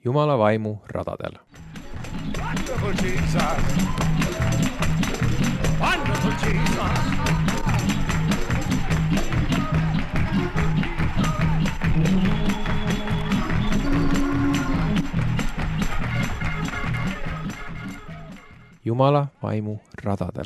Jumala vaimu radadel. Wonderful Jesus! Wonderful Jesus! Jumala vaimu radadel.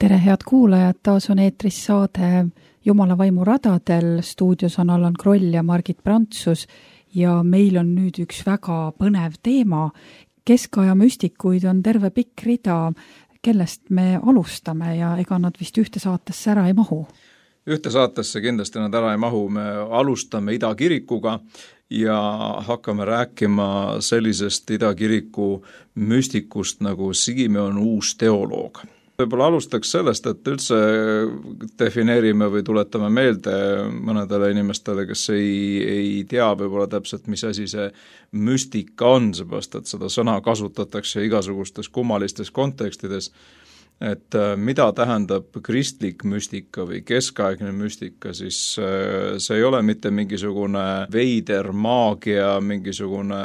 Tere, head kuulajad, taas on eetris saade Jumala vaimu radadel. Stuudios on Allan Kroll ja Margit Prantsus ja meil on nüüd üks väga põnev teema. Keskaja müstikuid on terve pikk rida, kellest me alustame ja ega nad vist ühte saatesse ära ei mahu. Ühte saatesse kindlasti nad ära ei mahu, me alustame Ida kirikuga ja hakkame rääkima sellisest Ida kiriku müstikust nagu Simeon uus teoloog. Võib-olla alustaks sellest, et üldse defineerime või tuletame meelde mõnedele inimestele, kes ei tea võib-olla täpselt, mis asi see müstika on, seepärast, et seda sõna kasutatakse igasugustes kummalistes kontekstides. Et mida tähendab kristlik müstika või keskaegne müstika, siis see ei ole mitte mingisugune veider maagia, mingisugune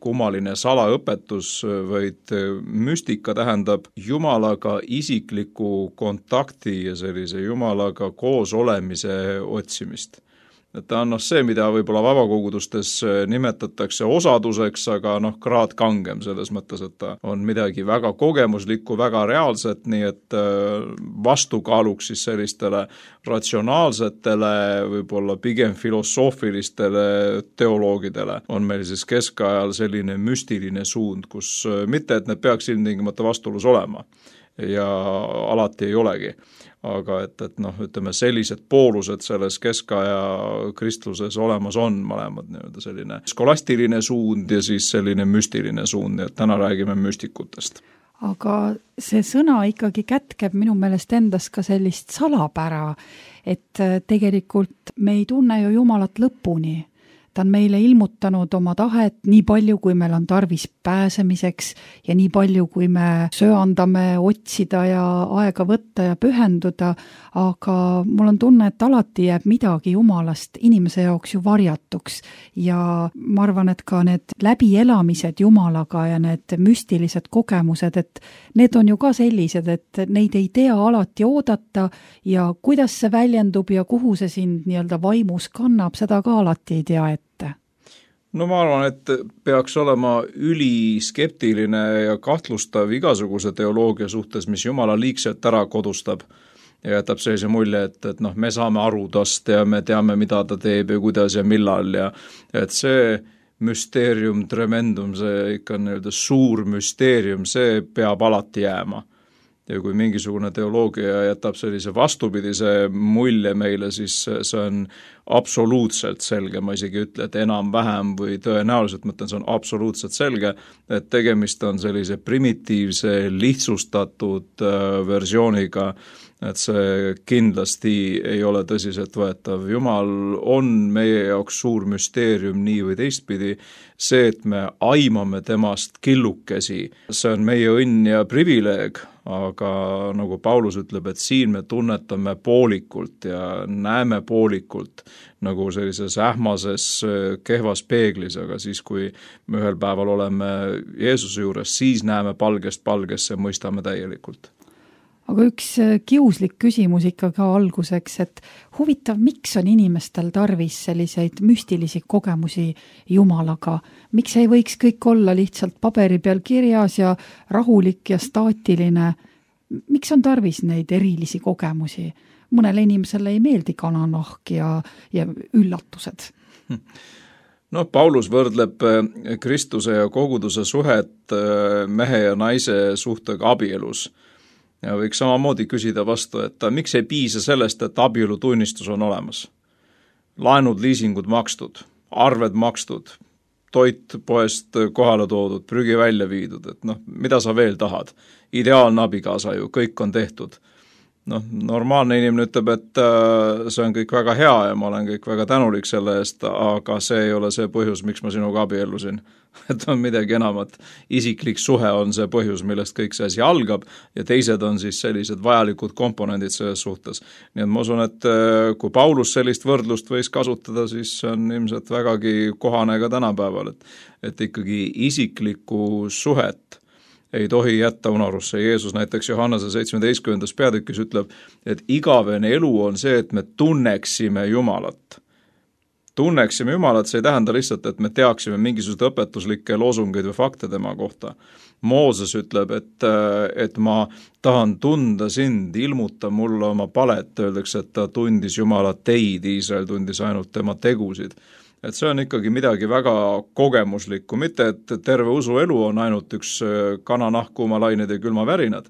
kummaline salaõpetus, vaid müstika tähendab Jumalaga isikliku kontakti ja sellise Jumalaga koos olemise otsimist. Et ta on see, mida võib-olla vabakogudustes nimetatakse osaduseks, aga kraad kangem selles mõttes, et ta on midagi väga kogemuslikku, väga reaalset, nii et vastukaaluks siis sellistele ratsionaalsetele, võib-olla pigem filosoofilistele teoloogidele on meil siis keskajal selline müstiline suund, kus mitte, et need peaks ilmtingimata vastuolus olema ja alati ei olegi. Aga ütleme, sellised poolused selles keskaja kristluses olemas on mõlemad selline skolastiline suund ja siis selline müstiline suund, et täna räägime müstikutest. Aga see sõna ikkagi kätkeb minu meelest endas ka sellist salapära, et tegelikult me ei tunne ju Jumalat lõpuni. Ta on meile ilmutanud oma tahet nii palju, kui meil on tarvis pääsemiseks ja nii palju, kui me söandame otsida ja aega võtta ja pühenduda, aga mul on tunne, et alati jääb midagi Jumalast inimese jaoks ju varjatuks ja ma arvan, et ka need läbielamised Jumalaga ja need müstilised kogemused, et need on ju ka sellised, et neid ei tea alati oodata ja kuidas see väljendub ja kuhu see sind nii-öelda vaimus kannab, seda ka alati ei tea ette. No ma arvan, et peaks olema üliskeptiline ja kahtlustav igasuguse teoloogia suhtes, mis Jumala liigselt ära kodustab ja jätab sellise mulje, et me saame aru tast ja me teame, mida ta teeb ja kuidas ja millal ja et see müsteerium tremendum, see ikka suur müsteerium, see peab alati jääma. Ja kui mingisugune teoloogia jätab sellise vastupidise mulje meile, siis see on absoluutselt selge, ma isegi ütle, et enam-vähem või tõenäoliselt mõtlen, see on absoluutselt selge, et tegemist on sellise primitiivse, lihtsustatud versiooniga, et see kindlasti ei ole tõsiselt võetav. Jumal on meie jaoks suur müsteerium nii või teistpidi, see, et me aimame temast killukesi, see on meie õnn ja privileeg, aga nagu Paulus ütleb, et siin me tunnetame poolikult ja näeme poolikult nagu sellises ähmases kehvas peeglis, aga siis, kui me ühel päeval oleme Jeesuse juures, siis näeme palgest palgesse, mõistame täielikult. Aga üks kiuslik küsimus ikka ka alguseks, et huvitav, miks on inimestel tarvis selliseid müstilisi kogemusi Jumalaga? Miks ei võiks kõik olla lihtsalt paberi peal kirjas ja rahulik ja staatiline? Miks on tarvis neid erilisi kogemusi? Mõnele inimesele ei meeldi kananahk ja üllatused. No, Paulus võrdleb Kristuse ja koguduse suhet mehe ja naise suhtega abielus. Ja võiks samamoodi küsida vastu, et miks ei piisa sellest, et abielutunnistus on olemas? Laenud, liisingud makstud, arved makstud, toit poest kohale toodud, prügi välja viidud, et mida sa veel tahad? Ideaalne abikaasa ju, kõik on tehtud. Normaalne inimene ütleb, et see on kõik väga hea ja ma olen kõik väga tänulik selle eest, aga see ei ole see põhjus, miks ma sinuga abiellusin. Et on midagi enamat. Isiklik suhe on see põhjus, millest kõik see asi algab ja teised on siis sellised vajalikud komponendid selles suhtes. Nii et ma usun, et kui Paulus sellist võrdlust võis kasutada, siis on ilmselt vägagi kohane ka tänapäeval, et ikkagi isiklikku suhet ei tohi jätta unarusse. Jeesus näiteks Johannese 17. peatükis ütleb, et igavene elu on see, et me tunneksime Jumalat. Tunneksime Jumalat, see ei tähenda lihtsalt, et me teaksime mingisugused õpetuslikke loosungeid või fakte tema kohta. Mooses ütleb, et ma tahan tunda sind, ilmuta mulle oma palet, öeldakse, et ta tundis Jumalat teid, Iisrael tundis ainult tema tegusid. Et see on ikkagi midagi väga kogemuslikku, mitte et terve usuelu on ainult üks kananahk, kuumalained ja külmavärinad.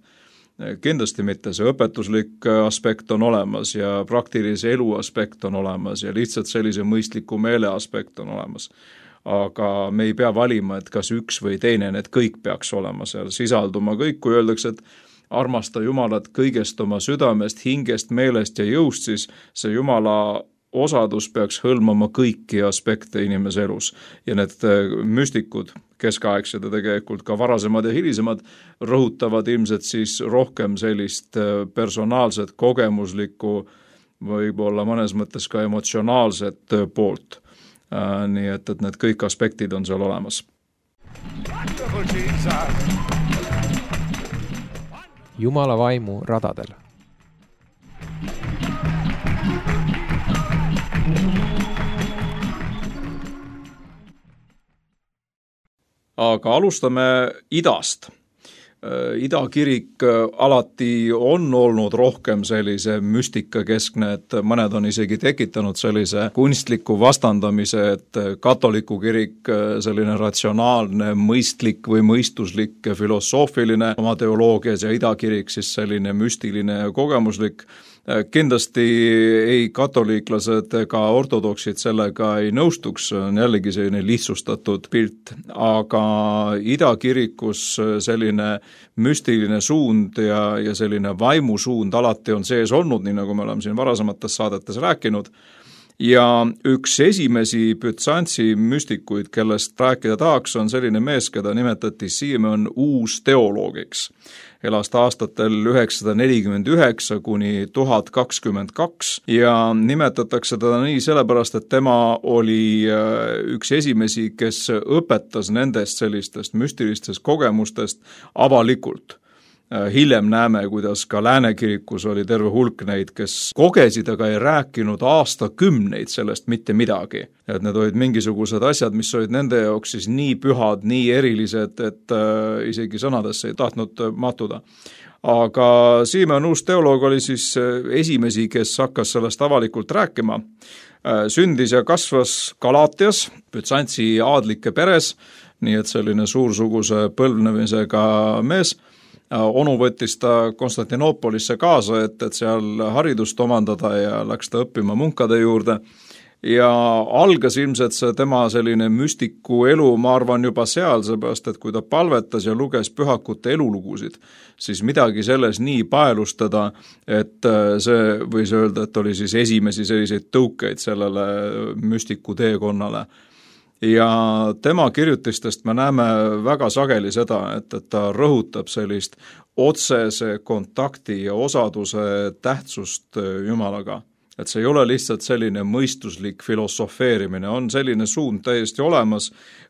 Kindlasti mitte, see õpetuslik aspekt on olemas ja praktilise elu aspekt on olemas ja lihtsalt sellise mõistliku meele aspekt on olemas. Aga me ei pea valima, et kas üks või teine, need kõik peaks olema seal sisalduma kõik, kui öeldakse, et armasta Jumalat kõigest oma südamest, hingest, meelest ja jõust, siis see Jumala osadus peaks hõlmama kõiki aspekte inimese elus ja need müstikud, keskaegsed ja tegelikult ka varasemad ja hilisemad, rõhutavad ilmselt siis rohkem sellist personaalset, kogemuslikku, võib-olla mõnes mõttes ka emotsionaalset poolt. Nii et need kõik aspektid on seal olemas. Jumala vaimu radadel. Aga alustame idast. Idakirik alati on olnud rohkem sellise müstikakeskne, et mõned on isegi tekitanud sellise kunstliku vastandamise, et katoliku kirik selline ratsionaalne, mõistlik või mõistuslik, filosoofiline oma teoloogias ja idakirik siis selline müstiline ja kogemuslik. Kindlasti ei katoliiklased ega ortodoksid sellega ei nõustuks, on jällegi selline lihtsustatud pilt, aga idakirikus selline müstiline suund ja selline vaimusuund alati on sees olnud, nii nagu me oleme siin varasemates saadetes rääkinud. Ja üks esimesi Büzantsi müstikuid, kellest rääkida tahaks, on selline mees, keda nimetati Simeon uusteoloogiks. Elas aastatel 949 kuni 1022 ja nimetatakse teda nii sellepärast, et tema oli üks esimesi, kes õpetas nendest sellistest müstilistest kogemustest avalikult. Hiljem näeme, kuidas ka Läänekirikus oli terve hulk neid, kes kogesid, aga ei rääkinud aastakümneid sellest mitte midagi. Et need olid mingisugused asjad, mis olid nende jaoks siis nii pühad, nii erilised, et isegi sõnadesse ei tahtnud mahtuda. Aga Simeon uusteoloog oli siis esimesi, kes hakkas sellest avalikult rääkima. Sündis ja kasvas Galaatias, Büzantsi aadlike peres, nii et selline suursuguse põlvnemisega mees. Onu võttis ta Konstantinoopolisse kaasa, et seal haridust omandada ja läks ta õppima munkade juurde. Ja algas ilmselt see tema selline müstiku elu, ma arvan juba seal, seepärast, et kui ta palvetas ja luges pühakute elulugusid, siis midagi selles nii paelustada, et see võis öelda, et oli siis esimesi selliseid tõukeid sellele müstiku teekonnale. Ja tema kirjutistest me näeme väga sageli seda, et ta rõhutab sellist otsese kontakti ja osaduse tähtsust Jumalaga. Et see ei ole lihtsalt selline mõistuslik filosofeerimine, on selline suund täiesti olemas,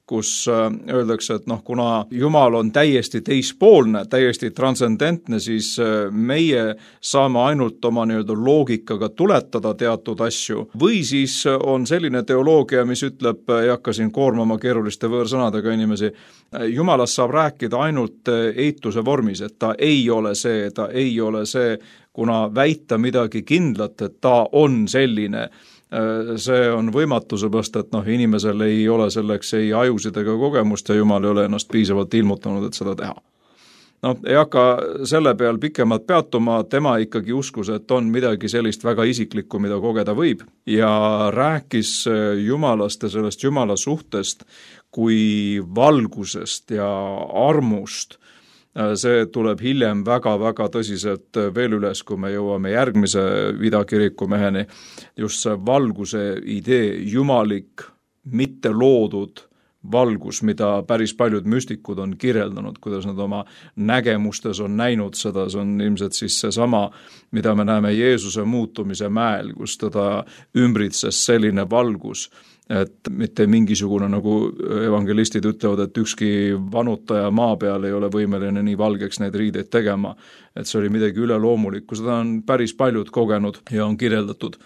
kus öeldakse, et kuna Jumal on täiesti teispoolne, täiesti transcendentne, siis meie saame ainult oma loogikaga tuletada teatud asju. Või siis on selline teoloogia, mis ütleb, ei hakka siin koormama keeruliste võõrsõnadega inimesi, Jumalast saab rääkida ainult eituse vormis, et ta ei ole see, kuna väita midagi kindlat, et ta on selline. See on võimatu, seepärast, et inimesel ei ole selleks ei ajusid ega kogemust ja Jumal ei ole ennast piisavalt ilmutanud, et seda teha. Ei hakka selle peal pikemalt peatuma, tema ikkagi uskus, et on midagi sellist väga isiklikku, mida kogeda võib ja rääkis Jumalast ja sellest Jumala suhtest kui valgusest ja armust See tuleb hiljem väga-väga tõsiselt veel üles, kui me jõuame järgmise idakiriku meheni. Just see valguse idee, jumalik, mitte loodud valgus, mida päris paljud müstikud on kirjeldanud, kuidas nad oma nägemustes on näinud seda, see on ilmselt siis seesama, mida me näeme Jeesuse muutumise mäel, kus teda ümbritses selline valgus, et mitte mingisugune, nagu evangelistid ütlevad, et ükski vanutaja maa peal ei ole võimeline nii valgeks neid riideid tegema, et see oli midagi üleloomulikku, seda on päris paljud kogenud ja on kirjeldatud.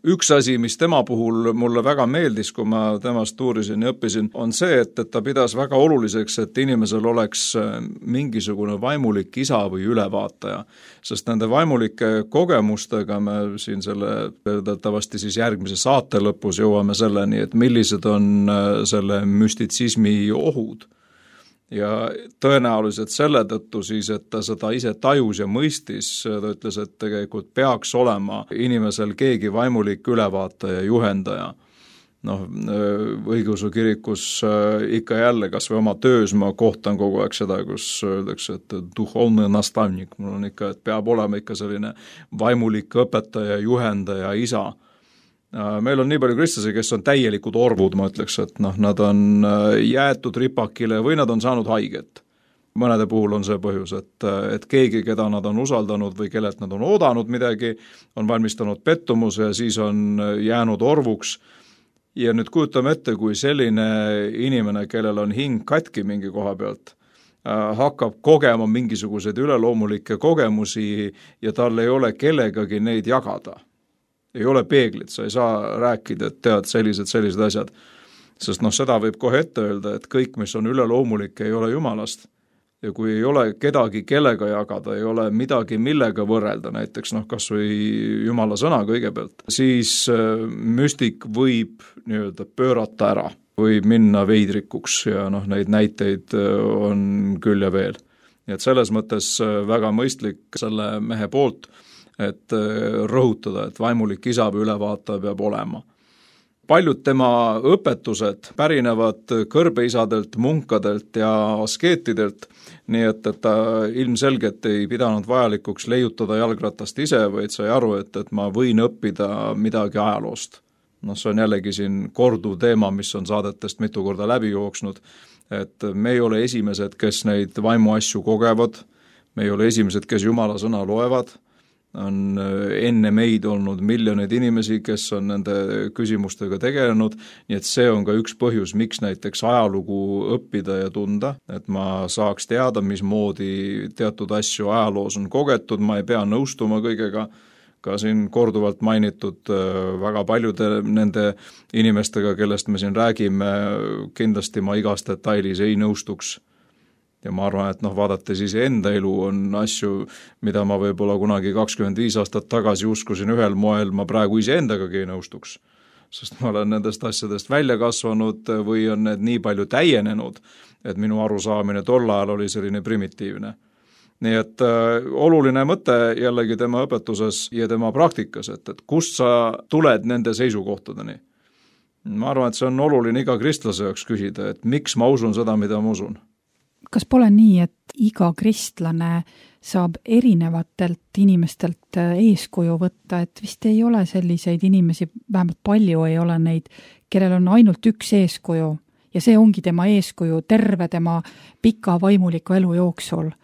Üks asi, mis tema puhul mulle väga meeldis, kui ma temast uurisin ja õppisin, on see, et ta pidas väga oluliseks, et inimesel oleks mingisugune vaimulik isa või ülevaataja. Sest nende vaimulike kogemustega me siin tavasti siis järgmise saate lõpus jõuame selleni, et millised on selle müstitsismi ohud. Ja tõenäoliselt selle tõttu siis, et ta seda ise tajus ja mõistis, ta ütles, et tegelikult peaks olema inimesel keegi vaimulik ülevaataja, juhendaja. Õigeusu kirikus ikka jälle, kas või oma töös ma kohtan kogu aeg seda, kus öeldakse, et duhovne nastavnik, mul on ikka, et peab olema ikka selline vaimulik õpetaja, juhendaja, isa. Meil on nii palju kristlasi, kes on täielikud orvud, ma ütleks, et nad on jäetud ripakile või nad on saanud haiget. Mõnede puhul on see põhjus, et keegi, keda nad on usaldanud või kellelt nad on oodanud midagi, on valmistanud pettumuse ja siis on jäänud orvuks. Ja nüüd kujutame ette, kui selline inimene, kellel on hing katki mingi koha pealt, hakkab kogema mingisuguseid üleloomulikke kogemusi ja tal ei ole kellegagi neid jagada. Ei ole peeglit, sa ei saa rääkida, et tead sellised asjad. Sest seda võib kohe ette öelda, et kõik, mis on üleloomulik, ei ole Jumalast. Ja kui ei ole kedagi, kellega jagada, ei ole midagi, millega võrrelda, näiteks kas või Jumala sõna kõigepealt, siis müstik võib pöörata ära, võib minna veidrikuks ja neid näiteid on küll ja veel. Nii et selles mõttes väga mõistlik selle mehe poolt, et rõhutada, et vaimulik isa või ülevaataja peab olema. Paljud tema õpetused pärinevad kõrbeisadelt, munkadelt ja askeetidelt, nii et ta ilmselgelt ei pidanud vajalikuks leiutada jalgratast ise, vaid sai aru, et ma võin õppida midagi ajaloost. See on jällegi siin korduv teema, mis on saadetest mitu korda läbi jooksnud, et me ei ole esimesed, kes neid vaimuasju kogevad, me ei ole esimesed, kes Jumala sõna loevad, on enne meid olnud miljoneid inimesi, kes on nende küsimustega tegelenud, nii et see on ka üks põhjus, miks näiteks ajalugu õppida ja tunda, et ma saaks teada, mismoodi teatud asju ajaloos on kogetud, ma ei pea nõustuma kõigega, ka siin korduvalt mainitud väga paljude nende inimestega, kellest me siin räägime, kindlasti ma igas detailis ei nõustuks. Ja ma arvan, et vaadates ise enda elu on asju, mida ma võib-olla kunagi 25 aastat tagasi uskusin ühel moel, ma praegu ise endagagi ei nõustuks. Sest ma olen nendest asjadest välja kasvanud või on need nii palju täienenud, et minu arusaamine tol ajal oli selline primitiivne. Nii et oluline mõte jällegi tema õpetuses ja tema praktikas, et kust sa tuled nende seisukohtadeni. Ma arvan, et see on oluline iga kristlase jaoks küsida, et miks ma usun seda, mida ma usun. Kas pole nii, et iga kristlane saab erinevatelt inimestelt eeskuju võtta, et vist ei ole selliseid inimesi, vähemalt palju ei ole neid, kellel on ainult üks eeskuju ja see ongi tema eeskuju terve tema pika vaimuliku elu jooksul.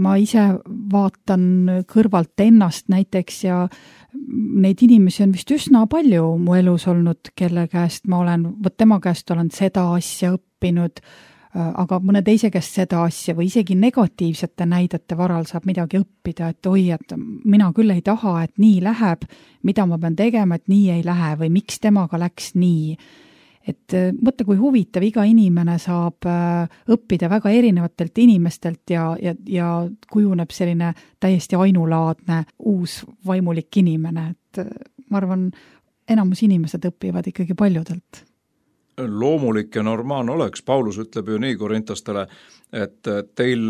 Ma ise vaatan kõrvalt ennast näiteks ja neid inimesi on vist üsna palju mu elus olnud, kelle käest tema käest olen seda asja õppinud, aga mõne teise käest seda asja või isegi negatiivsete näidete varal saab midagi õppida, et et mina küll ei taha, et nii läheb, mida ma pean tegema, et nii ei lähe või miks temaga läks nii. Et mõtle, kui huvitav, iga inimene saab õppida väga erinevatelt inimestelt ja kujuneb selline täiesti ainulaadne uus vaimulik inimene, et ma arvan, enamus inimesed õpivad ikkagi paljudelt. Loomulik ja normaalne oleks, Paulus ütleb ju nii korintastele, et teil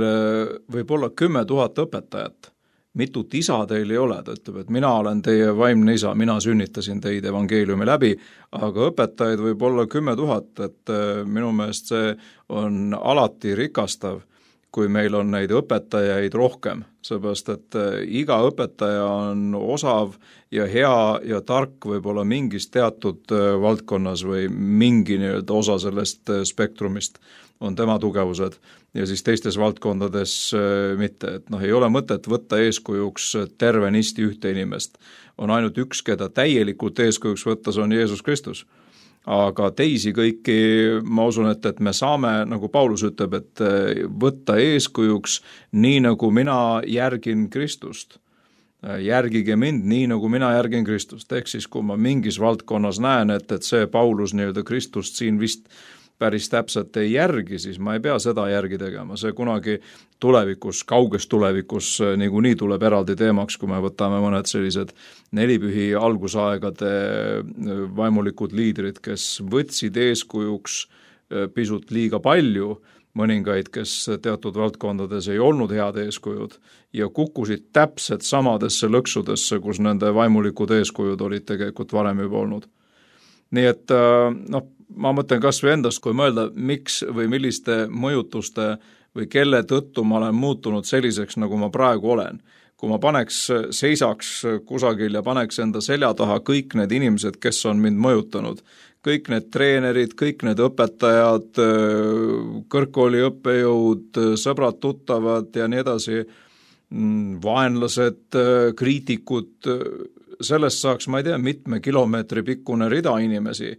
võib olla 10 000 õpetajat, mitut isa teil ei ole, ta ütleb, et mina olen teie vaimne isa, mina sünnitasin teid evangeeliumi läbi, aga õpetajaid võib olla 10 000, et minu meelest see on alati rikastav, kui meil on neid õpetajaid rohkem, seepärast et iga õpetaja on osav ja hea ja tark võib-olla mingis teatud valdkonnas või mingi nii-öelda osa sellest spektrumist on tema tugevused ja siis teistes valdkondades mitte, et ei ole mõtet võtta eeskujuks tervenisti ühte inimest. On ainult üks, keda täielikult eeskujuks võtta, see on Jeesus Kristus. Aga teisi kõiki, ma usun, et me saame, nagu Paulus ütleb, et võtta eeskujuks nii, nagu mina järgin Kristust. Järgige mind nii, nagu mina järgin Kristust. Ehk siis, kui ma mingis valdkonnas näen, et see Paulus nii-öelda Kristust siin vist päris täpselt ei järgi, siis ma ei pea seda järgi tegema. See kunagi tulevikus, kauges tulevikus niikuinii tuleb eraldi teemaks, kui me võtame mõned sellised nelipühi algusaegade vaimulikud liidrid, kes võtsid eeskujuks pisut liiga palju, mõningaid, kes teatud valdkondades ei olnud head eeskujud ja kukkusid täpselt samadesse lõksudesse, kus nende vaimulikud eeskujud olid tegelikult varem juba olnud. Nii et ma mõtlen kas või endast, kui mõelda, miks või milliste mõjutuste või kelle tõttu ma olen muutunud selliseks, nagu ma praegu olen. Kui ma seisaks kusagil ja paneks enda selja taha kõik need inimesed, kes on mind mõjutanud, kõik need treenerid, kõik need õpetajad, kõrgkooli õppejõud, sõbrad, tuttavad ja nii edasi, vaenlased, kriitikud, sellest saaks, ma ei tea, mitme kilomeetri pikkune rida inimesi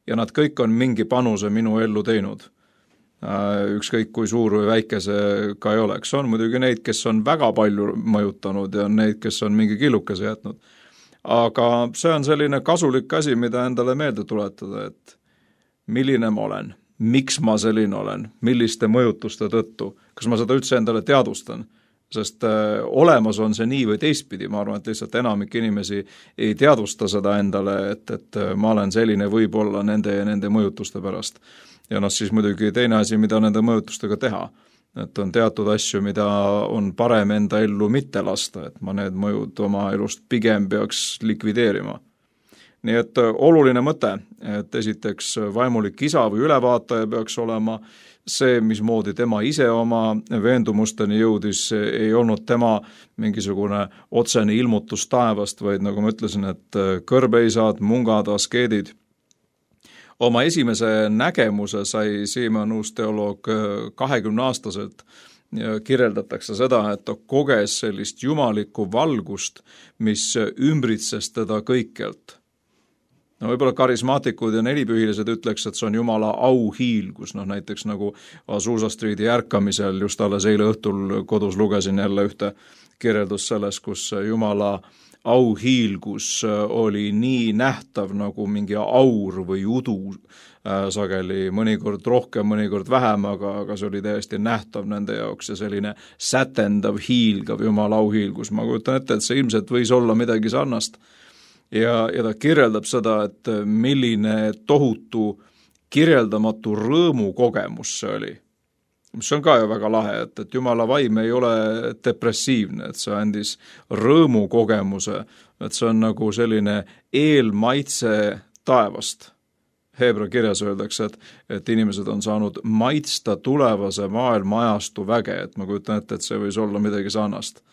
ja nad kõik on mingi panuse minu ellu teinud. Ükskõik kui suur või väike see ka ei oleks. On muidugi neid, kes on väga palju mõjutanud ja neid, kes on mingi killukese jätnud. Aga see on selline kasulik asi, mida endale meelde tuletada, et milline ma olen, miks ma selline olen, milliste mõjutuste tõttu, kas ma seda üldse endale teadvustan. Sest olemas on see nii või teistpidi, ma arvan, et lihtsalt enamik inimesi ei teadvusta seda endale, et ma olen selline võib-olla nende ja nende mõjutuste pärast. Ja siis muidugi teine asi, mida nende mõjutustega teha, et on teatud asju, mida on parem enda ellu mitte lasta, et ma need mõjud oma elust pigem peaks likvideerima. Nii et oluline mõte, et esiteks vaimulik isa või ülevaataja peaks olema see, mismoodi tema ise oma veendumusteni jõudis, ei olnud tema mingisugune otsene ilmutus taevast, vaid nagu ma ütlesin, et kõrbeisad, mungad, askeedid. Oma esimese nägemuse sai Siimon uus teoloog 20-aastaselt ja kirjeldatakse seda, et ta koges sellist jumalikku valgust, mis ümbritses teda kõikjalt. Võib-olla karismaatikud ja nelipühilised ütleks, et see on Jumala auhiilgus, näiteks nagu Azusa Streeti ärkamisel, just alles eile õhtul kodus lugesin jälle ühte kirjeldus sellest, kus Jumala auhiilgus oli nii nähtav nagu mingi aur või udu sageli, mõnikord rohkem, mõnikord vähem, aga see oli täiesti nähtav nende jaoks ja selline sätendav, hiilgav Jumala auhiilgus. Ma kujutan ette, et see ilmselt võis olla midagi sarnast. Ja ta kirjeldab seda, et milline tohutu kirjeldamatu rõõmu kogemus see oli. Mis on ka ju väga lahe, et Jumala vaim ei ole depressiivne, et see andis rõõmu kogemuse, et see on nagu selline eelmaitse taevast. Heebra kirjas öeldakse, et inimesed on saanud maitsta tulevase maailma ajastu väge, et ma kujutan ette, et see võis olla midagi sarnast.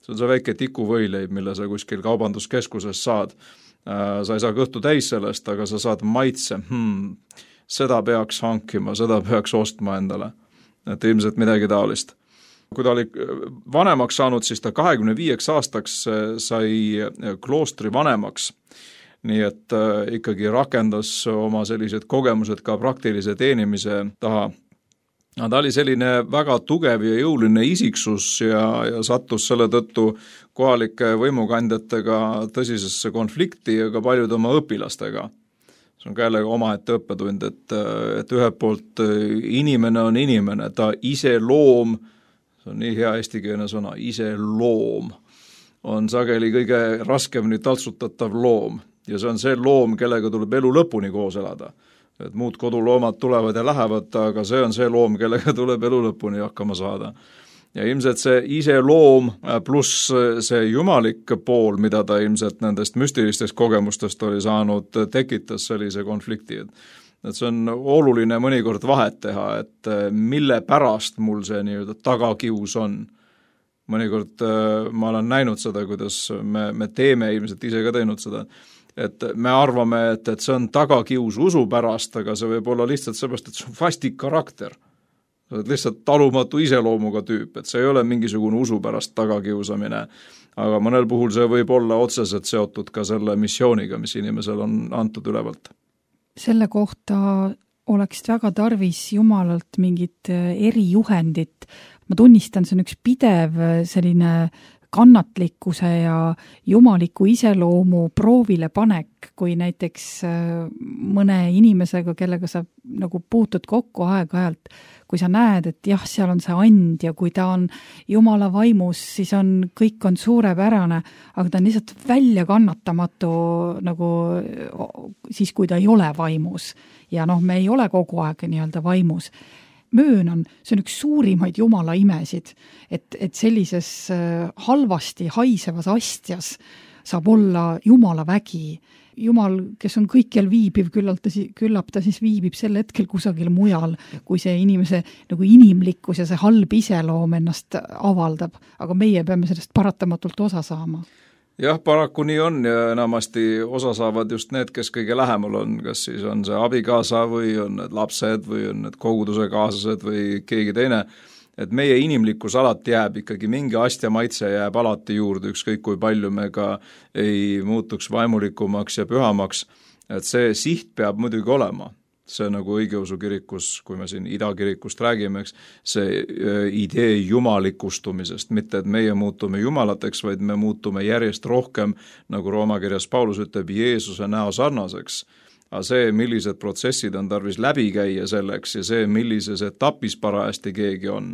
See on see väike tikuvõileib, mille sa kuskil kaubanduskeskuses saad. Sa ei saa kõhtu täis sellest, aga sa saad maitse. Seda peaks hankima, seda peaks ostma endale. Et ilmselt midagi taolist. Kui ta oli vanemaks saanud, siis ta 25 aastaks sai kloostri vanemaks. Nii et ikkagi rakendas oma sellised kogemused ka praktilise teenimise taha. Ta oli selline väga tugev ja jõuline isiksus ja sattus selle tõttu kohalike võimukandjatega tõsisesse konflikti ja ka paljude oma õpilastega. See on ka jälle omaette õppetund, et ühelt poolt inimene on inimene, ta ise loom, see on nii hea eestikeelne sõna, ise loom, on sageli kõige raskemini taltsutatav loom ja see on see loom, kellega tuleb elu lõpuni koos elada. Et muud koduloomad tulevad ja lähevad, aga see on see loom, kellega tuleb elu lõpuni hakkama saada. Ja ilmselt see ise loom pluss see jumalik pool, mida ta ilmselt nendest müstilistest kogemustest oli saanud, tekitas sellise konflikti. et see on oluline mõnikord vahet teha, et mille pärast mul see nii-öelda tagakius on. Mõnikord ma olen näinud seda, kuidas me teeme, ilmselt ise ka teinud seda, et me arvame, et see on tagakius usu pärast, aga see võib olla lihtsalt seepärast, et see on vastik karakter. See on lihtsalt talumatu iseloomuga tüüp, et see ei ole mingisugune usu pärast tagakiusamine, aga mõnel puhul see võib olla otseselt seotud ka selle missiooniga, mis inimesel on antud ülevalt. Selle kohta oleks väga tarvis Jumalalt mingit erijuhendit. Ma tunnistan, see on üks pidev selline kannatlikkuse ja jumaliku iseloomu proovile panek, kui näiteks mõne inimesega, kellega sa nagu puutud kokku aeg-ajalt, kui sa näed, et jah, seal on see and ja kui ta on Jumala vaimus, siis kõik on suurepärane, aga ta on lihtsalt välja kannatamatu nagu siis, kui ta ei ole vaimus. Ja me ei ole kogu aeg nii-öelda vaimus. Möönan, see on üks suurimaid Jumala imesid, et sellises halvasti haisevas astjas saab olla Jumala vägi. Jumal, kes on kõikjal viibiv, küllap ta siis viibib sel hetkel kusagil mujal, kui see inimese nagu inimlikkus ja see halb iseloom ennast avaldab, aga meie peame sellest paratamatult osa saama. Jah, paraku nii on ja enamasti osa saavad just need, kes kõige lähemal on, kas siis on see abikaasa või on need lapsed või on need koguduse kaaslased või keegi teine, et meie inimlikkus alati jääb ikkagi mingi astja maitse jääb alati juurde, ükskõik kui palju me ka ei muutuks vaimulikumaks ja pühamaks, et see siht peab muidugi olema. See nagu õigeusu kirikus, kui me siin idakirikust räägime, see idee jumalikustumisest, mitte et meie muutume jumalateks, vaid me muutume järjest rohkem, nagu Rooma kirjas Paulus ütleb, Jeesuse näo sarnaseks. Aga see, millised protsessid on tarvis läbi käia selleks ja see, millises etapis parajasti keegi on,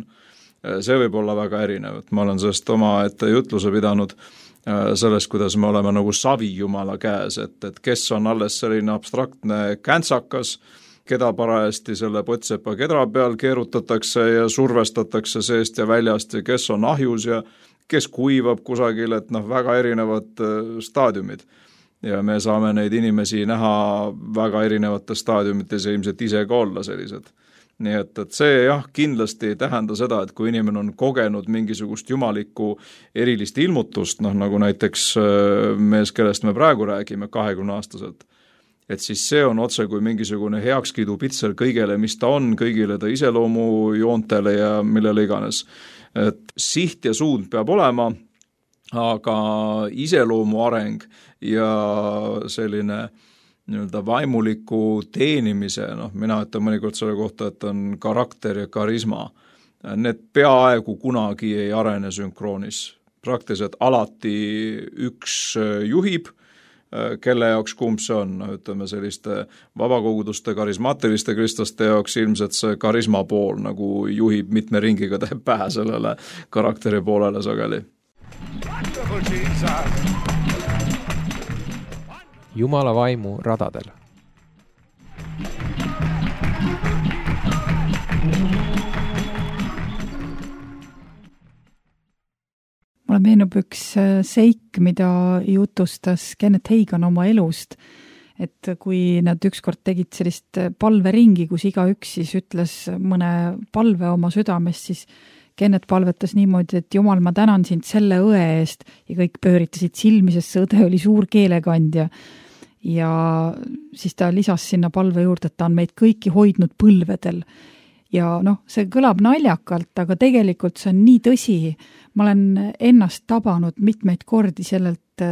see võib olla väga erinev. Ma olen sellest oma ette jutluse pidanud sellest, kuidas me oleme nagu savi Jumala käes, et kes on alles selline abstraktne käntsakas, keda parajasti selle potsepa kedra peal keerutatakse ja survestatakse seest ja väljast ja kes on ahjus ja kes kuivab kusagil, et väga erinevad staadiumid. Ja me saame neid inimesi näha väga erinevates staadiumites ja ilmselt ise ka olla sellised. Nii et see jah, kindlasti ei tähenda seda, et kui inimene on kogenud mingisugust jumalikku erilist ilmutust, nagu näiteks mees, kellest me praegu räägime, 20-aastaselt, et siis see on otse kui mingisugune heakskiidu pitser kõigele, mis ta on, kõigile ta iseloomu joontele ja millele iganes. Et siht ja suund peab olema, aga iseloomu areng ja selline nii-öelda vaimuliku teenimise, mina ütlen mõnikord selle kohta, et on karakter ja karisma. Need peaaegu kunagi ei arene sünkroonis. Praktiliselt alati üks juhib, kelle jaoks kumb see on, ütleme selliste vabakoguduste karismaatiliste kristlaste jaoks ilmselt see karisma pool nagu juhib mitme ringiga teeb pähe sellele karakteri poolele sageli. Jumala vaimu radadel. Mulle meenub üks seik, mida jutustas Kenneth Hagin oma elust, et kui nad ükskord tegid sellist palveringi, kus igaüks siis ütles mõne palve oma südamest, siis Kenneth palvetas niimoodi, et Jumal, ma tänan sind selle õe eest ja kõik pööritasid silmi, sest see õde oli suur keelekandja. Ja siis ta lisas sinna palve juurde, et ta on meid kõiki hoidnud põlvedel. Ja see kõlab naljakalt, aga tegelikult see on nii tõsi. Ma olen ennast tabanud mitmeid kordi sellelt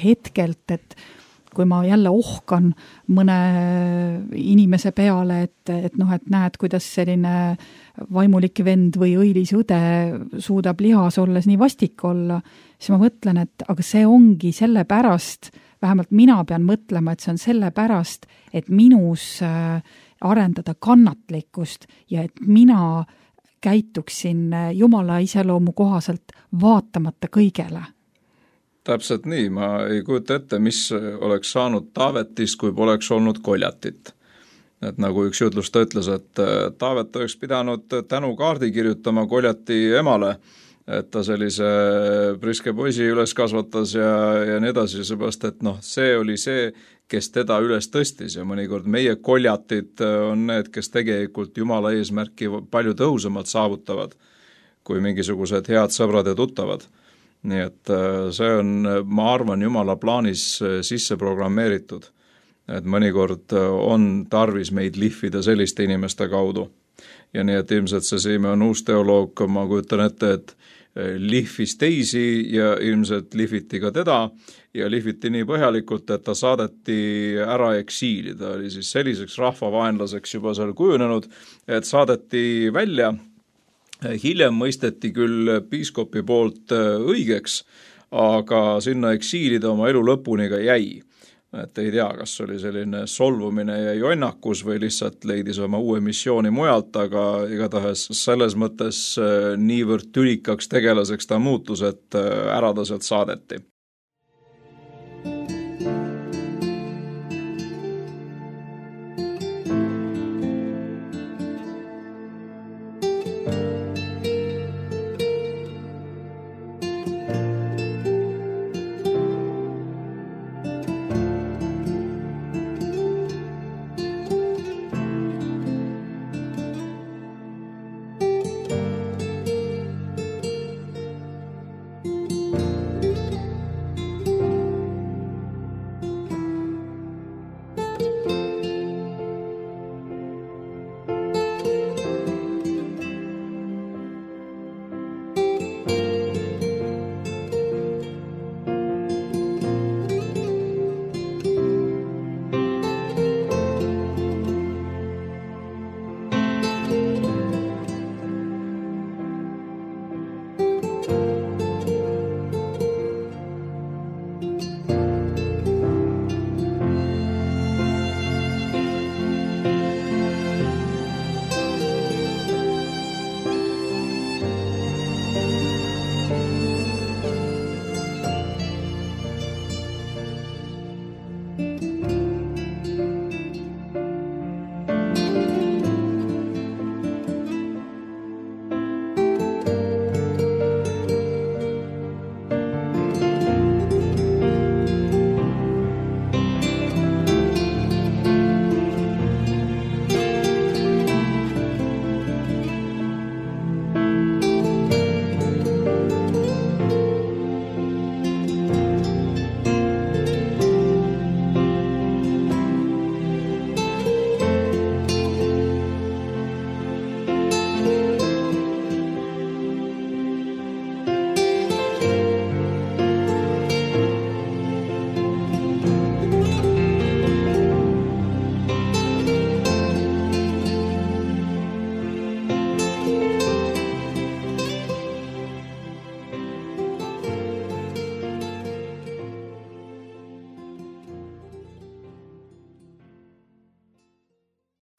hetkelt, et kui ma jälle ohkan mõne inimese peale, et näed, kuidas selline vaimulik vend või õilis õde suudab lihas olles nii vastik olla, siis ma mõtlen, et aga see ongi selle pärast, vähemalt mina pean mõtlema, et see on selle pärast, et minus arendada kannatlikkust ja et mina käituksin Jumala iseloomu kohaselt vaatamata kõigele. Täpselt nii, ma ei kujuta ette, mis oleks saanud Taavetist, kui poleks olnud Koljatit. Et nagu üks jutlus ta ütles, et Taavet oleks pidanud tänukaardi kirjutama Koljati emale et ta sellise priske poisi üles kasvatas ja nii edasi, seepärast, et see oli see, kes teda üles tõstis ja mõnikord meie koljatid on need, kes tegelikult Jumala eesmärki palju tõhusamalt saavutavad kui mingisugused head sõbrad ja tuttavad. Nii et see on, ma arvan, Jumala plaanis sisse programmeeritud, et mõnikord on tarvis meid lihvida selliste inimeste kaudu. Ja nii, et ilmselt see Siime on uus teoloog, ma kujutan ette, et lihvis teisi ja ilmselt lihviti ka teda ja lihviti nii põhjalikult, et ta saadeti ära eksiili. Ta oli siis selliseks rahvavaenlaseks juba seal kujunenud, et saadeti välja. Hiljem mõisteti küll piiskopi poolt õigeks, aga sinna eksiili ta oma elu lõpuni ka jäi. Et ei tea, kas oli selline solvumine ja jonnakus või lihtsalt leidis oma uue missiooni mujalt, aga igatahes selles mõttes niivõrd tülikaks tegelaseks ta muutus, et ära ta sealt saadeti.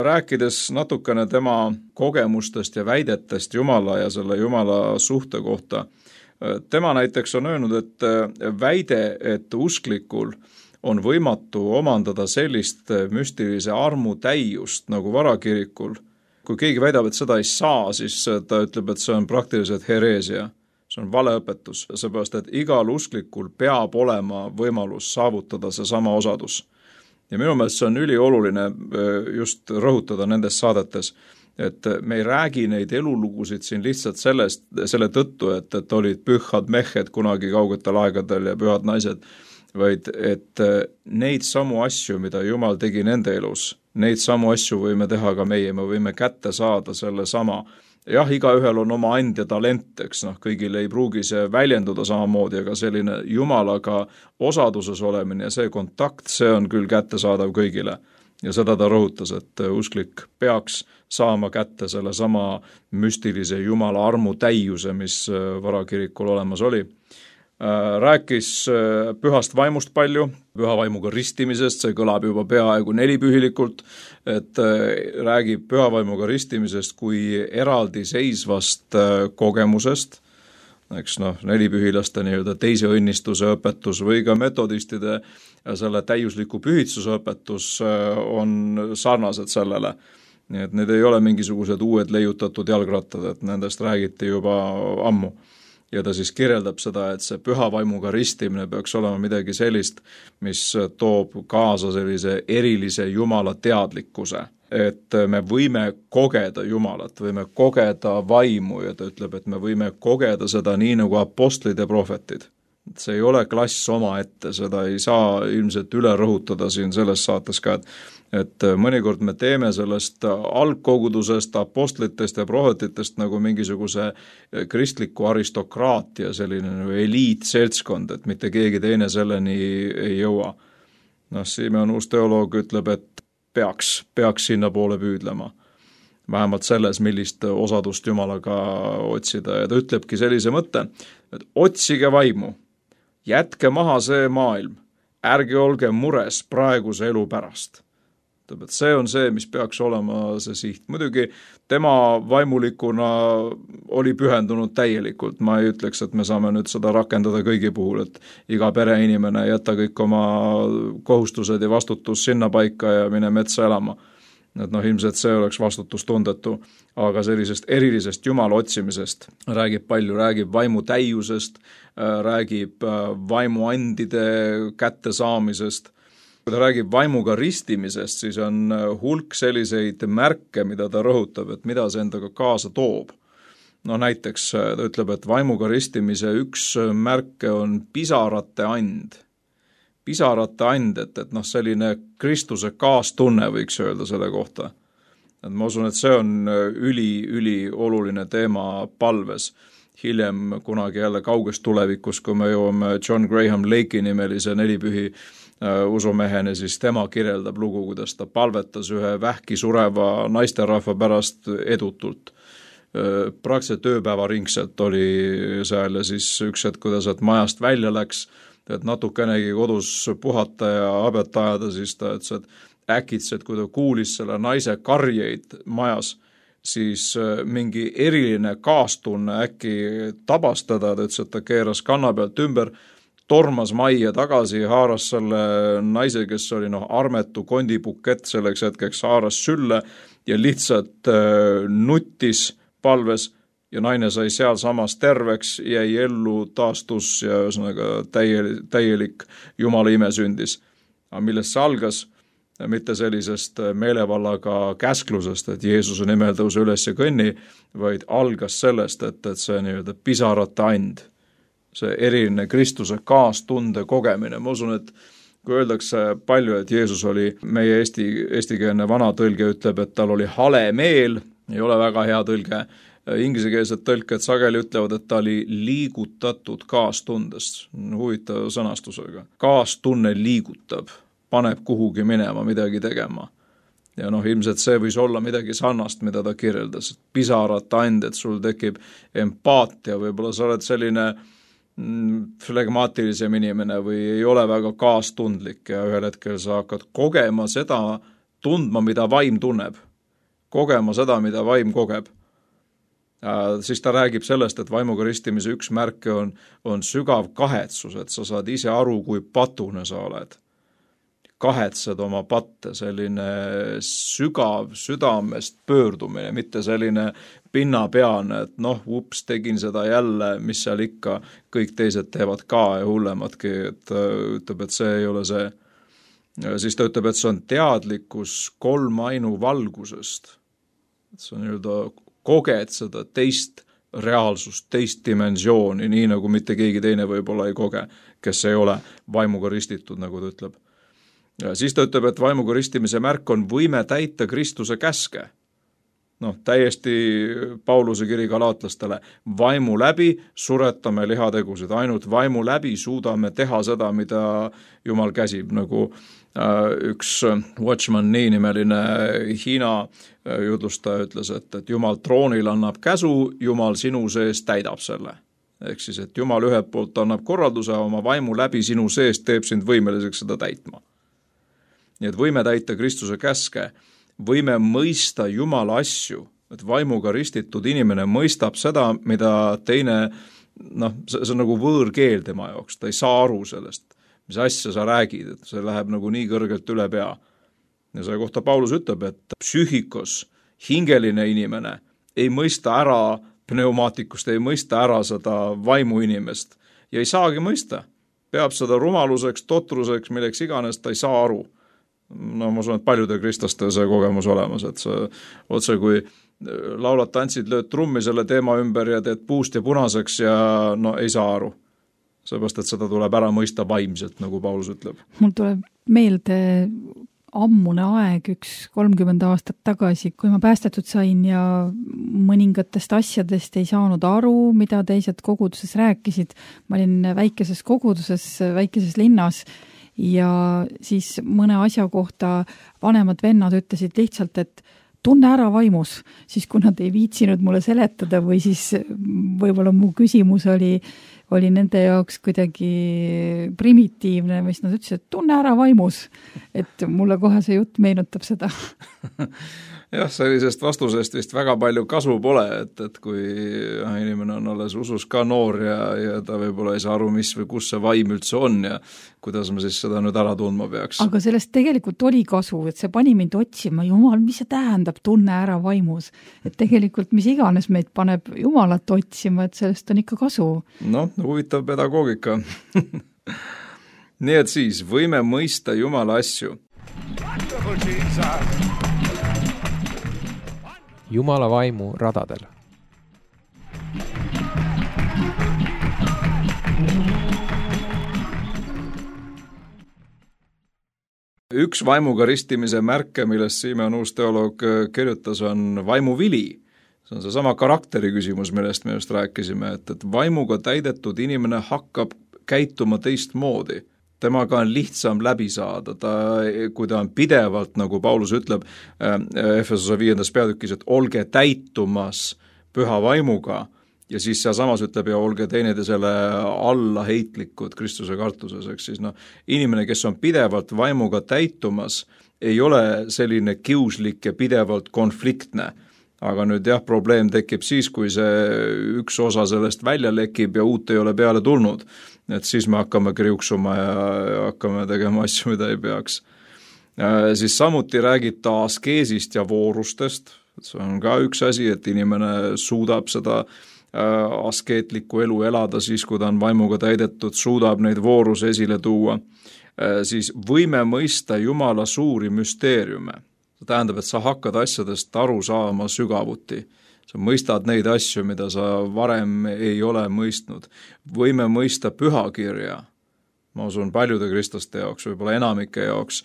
Rääkides natukene tema kogemustest ja väidetest Jumala ja selle Jumala suhte kohta, tema näiteks on öelnud, et väide, et usklikul on võimatu omandada sellist müstilise armu täiust nagu varakirikul. Kui keegi väidab, et seda ei saa, siis ta ütleb, et see on praktiliselt hereesia. See on valeõpetus, seepärast, et igal usklikul peab olema võimalus saavutada see sama osadus. Ja minu meelest see on ülioluline just rõhutada nendes saadetes, et me ei räägi neid elulugusid siin lihtsalt selle tõttu, et olid pühad mehed kunagi kaugetel aegadel ja pühad naised, vaid et neid samu asju, mida Jumal tegi nende elus, neid samu asju võime teha ka meie, me võime kätte saada selle sama. Jah, igaühel on oma and ja talent, eks kõigil ei pruugi see väljenduda samamoodi, aga selline Jumalaga osaduses olemine ja see kontakt, see on küll kättesaadav kõigile. Ja seda ta rõhutas, et usklik peaks saama kätte selle sama müstilise Jumala armu täiuse, mis varakirikul olemas oli. Rääkis pühast vaimust palju, püha vaimuga ristimisest, see kõlab juba peaaegu nelipühilikult, et räägib püha vaimuga ristimisest kui eraldi seisvast kogemusest, eks nelipühilaste nii-öelda teise õnnistuse õpetus või ka metodistide ja selle täiusliku pühitsuse õpetus on sarnased sellele. Nii et need ei ole mingisugused uued leiutatud jalgrattad, et nendest räägiti juba ammu. ja ta siis kirjeldab seda, et see püha vaimuga ristimine peaks olema midagi sellist, mis toob kaasa sellise erilise Jumala teadlikkuse, et me võime kogeda Jumalat, võime kogeda vaimu ja ta ütleb, et me võime kogeda seda nii nagu apostlid ja prohvetid. See ei ole klass omaette, seda ei saa ilmselt üle rõhutada siin selles saates ka, et mõnikord me teeme sellest algkogudusest, apostlitest ja prohvetitest nagu mingisuguse kristliku aristokraatia, selline nagu eliitseltskond, et mitte keegi teine selleni ei jõua. Simeon uus teoloog ütleb, et peaks sinna poole püüdlema. Vähemalt selles, millist osadust Jumalaga otsida ja ta ütlebki sellise mõtte, et otsige vaimu. Jätke maha see maailm, ärge olge mures praeguse elu pärast. Et see on see, mis peaks olema see siht. Muidugi tema vaimulikuna oli pühendunud täielikult. Ma ei ütleks, et me saame nüüd seda rakendada kõigi puhul, et iga pereinimene jätta kõik oma kohustused ja vastutus sinna paika ja mine metsa elama. Et ilmselt see oleks vastutustundetu, aga sellisest erilisest Jumala otsimisest räägib palju, räägib vaimu täiusest, räägib vaimuandide kättesaamisest. Kui ta räägib vaimuga ristimisest, siis on hulk selliseid märke, mida ta rõhutab, et mida see endaga kaasa toob. Näiteks ta ütleb, et vaimuga ristimise üks märke on pisarate and. Pisarate and, et selline Kristuse kaastunne võiks öelda selle kohta. Et ma usun, et see on üli oluline teema palves. Hiljem kunagi jälle kauges tulevikus, kui me jõuame John Graham Lake'i nimelise nelipühi usumeheni, siis tema kirjeldab lugu, kuidas ta palvetas ühe vähki sureva naisterahva pärast edutult. Praktiliselt ööpäeva ringselt oli seal ja siis üks hetk, kuidas majast välja läks, et natukenegi kodus puhata ja habet ajada, siis ta ütles, et äkitselt, kui ta kuulis selle naise karjeid majas, siis mingi eriline kaastunne äkki tabastada, ta ütles, et ta keeras kanna pealt ümber, tormas majja tagasi, haaras selle naise, kes oli armetu kondibukett selleks hetkeks, haaras sülle ja lihtsalt nuttis palves ja naine sai seal samas terveks, jäi ellu, taastus ja ühesõnaga täielik Jumala ime sündis. Aga millest see algas? Mitte sellisest meelevallaga käsklusest, et Jeesuse nimel tõuse üles ja kõnni, vaid algas sellest, et see nii-öelda pisarate and, see eriline Kristuse kaastunde kogemine. Ma usun, et kui öeldakse palju, et Jeesus oli, meie eestikeelne vana tõlge ütleb, et tal oli hale meel, ei ole väga hea tõlge. Ingliskeelsed tõlked sageli ütlevad, et ta oli liigutatud kaastundest. Huvitav sõnastusega. Kaastunne liigutab, paneb kuhugi minema, midagi tegema. Ja ilmselt see võis olla midagi sarnast, mida ta kirjeldas. Pisarate and, et sul tekib empaatia, võib-olla sa oled selline flegmaatilisem inimene või ei ole väga kaastundlik ja ühel hetkel sa hakkad kogema seda, tundma, mida vaim tunneb. Kogema seda, mida vaim kogeb. Siis ta räägib sellest, et vaimuga ristimise üks märke on sügav kahetsus, et sa saad ise aru, kui patune sa oled. Kahetsed oma patte, selline sügav südamest pöördumine, mitte selline pinnapeane, et ups, tegin seda jälle, mis seal ikka, kõik teised teevad ka ja hullemadki, et ütleb, et see ei ole see. Siis ta ütleb, et see on teadlikkus kolmainu valgusest. Et see on nii-öelda koged seda teist reaalsust, teist dimensiooni, nii nagu mitte keegi teine võib-olla ei koge, kes ei ole vaimuga ristitud, nagu ta ütleb. Ja siis ta ütleb, et vaimuga ristimise märk on võime täita Kristuse käske. Täiesti Pauluse kiri galaatlastele. Vaimu läbi suretame lihategusid, ainult vaimu läbi suudame teha seda, mida Jumal käsib, nagu üks Watchman Nee nimeline Hiina jutlustaja ütles, et Jumal troonil annab käsu, Jumal sinu sees täidab selle. Ehk siis, et Jumal ühelt poolt annab korralduse, oma vaimu läbi sinu sees teeb sind võimeliseks seda täitma. Nii et võime täita Kristuse käske, võime mõista Jumala asju, et vaimuga ristitud inimene mõistab seda, mida teine, see on nagu võõrkeel tema jaoks, ta ei saa aru sellest, mis asja sa räägid, et see läheb nagu nii kõrgelt üle pea. Ja selle kohta Paulus ütleb, et psüühikos, hingeline inimene ei mõista ära pneumaatikust ei mõista ära seda vaimuinimest ja ei saagi mõista. Peab seda rumaluseks, totruseks, milleks iganes, ta ei saa aru. No ma usun, et paljudel kristlastel see kogemus olemas, et see otse kui laulad, tantsid, lööd trummi selle teema ümber ja teed puust ja punaseks ja no ei saa aru. Seepärast, et seda tuleb ära mõista vaimselt, nagu Paulus ütleb. Mul tuleb meelde ammune aeg, 30 aastat tagasi, kui ma päästetud sain ja mõningatest asjadest ei saanud aru, mida teised koguduses rääkisid. Ma olin väikeses koguduses, väikeses linnas ja siis mõne asja kohta vanemad vennad ütlesid lihtsalt, et tunne ära vaimus, siis kui nad ei viitsinud mulle seletada või siis võib-olla mu küsimus oli nende jaoks kuidagi primitiivne, mis nad ütlesid, et tunne ära vaimus, et mulle kohe see jutt meenutab seda. Jah, sellisest vastusest vist väga palju kasu pole, et kui inimene on alles usus ka noor ja ta võib-olla ei saa aru, mis või kus see vaim üldse on ja kuidas ma siis seda nüüd ära tundma peaks. Aga sellest tegelikult oli kasu, et see pani mind otsima, Jumal, mis see tähendab tunne ära vaimus, et tegelikult mis iganes meid paneb Jumalat otsima, et sellest on ikka kasu. Noh, huvitav pedagoogika. Nii et siis võime mõista Jumala asju. Jumala vaimu radadel. Üks vaimuga ristimise märke, millest Simeon uus teoloog kirjutas, on vaimuvili. See on see sama karakteri küsimus, millest me just rääkisime, et vaimuga täidetud inimene hakkab käituma teistmoodi. Temaga on lihtsam läbi saada, kui ta on pidevalt, nagu Paulus ütleb Efesose 5. peatükis, et olge täitumas püha vaimuga ja siis seal samas ütleb ja olge teineteisele allaheitlikud Kristuse kartuses, eks siis inimene, kes on pidevalt vaimuga täitumas, ei ole selline kiuslik ja pidevalt konfliktne. Aga nüüd jah, probleem tekib siis, kui see üks osa sellest välja lekib ja uut ei ole peale tulnud. Et siis me hakkame kriuksuma ja hakkame tegema asju, mida ei peaks. Siis samuti räägib ta askeesist ja voorustest. See on ka üks asi, et inimene suudab seda askeetlikku elu elada siis, kui ta on vaimuga täidetud, suudab neid vooruse esile tuua. Siis võime mõista Jumala suuri müsteeriume. See tähendab, et sa hakkad asjadest aru saama sügavuti. Sa mõistad neid asju, mida sa varem ei ole mõistnud. Võime mõista pühakirja. Ma usun paljude kristlaste jaoks, võib-olla enamike jaoks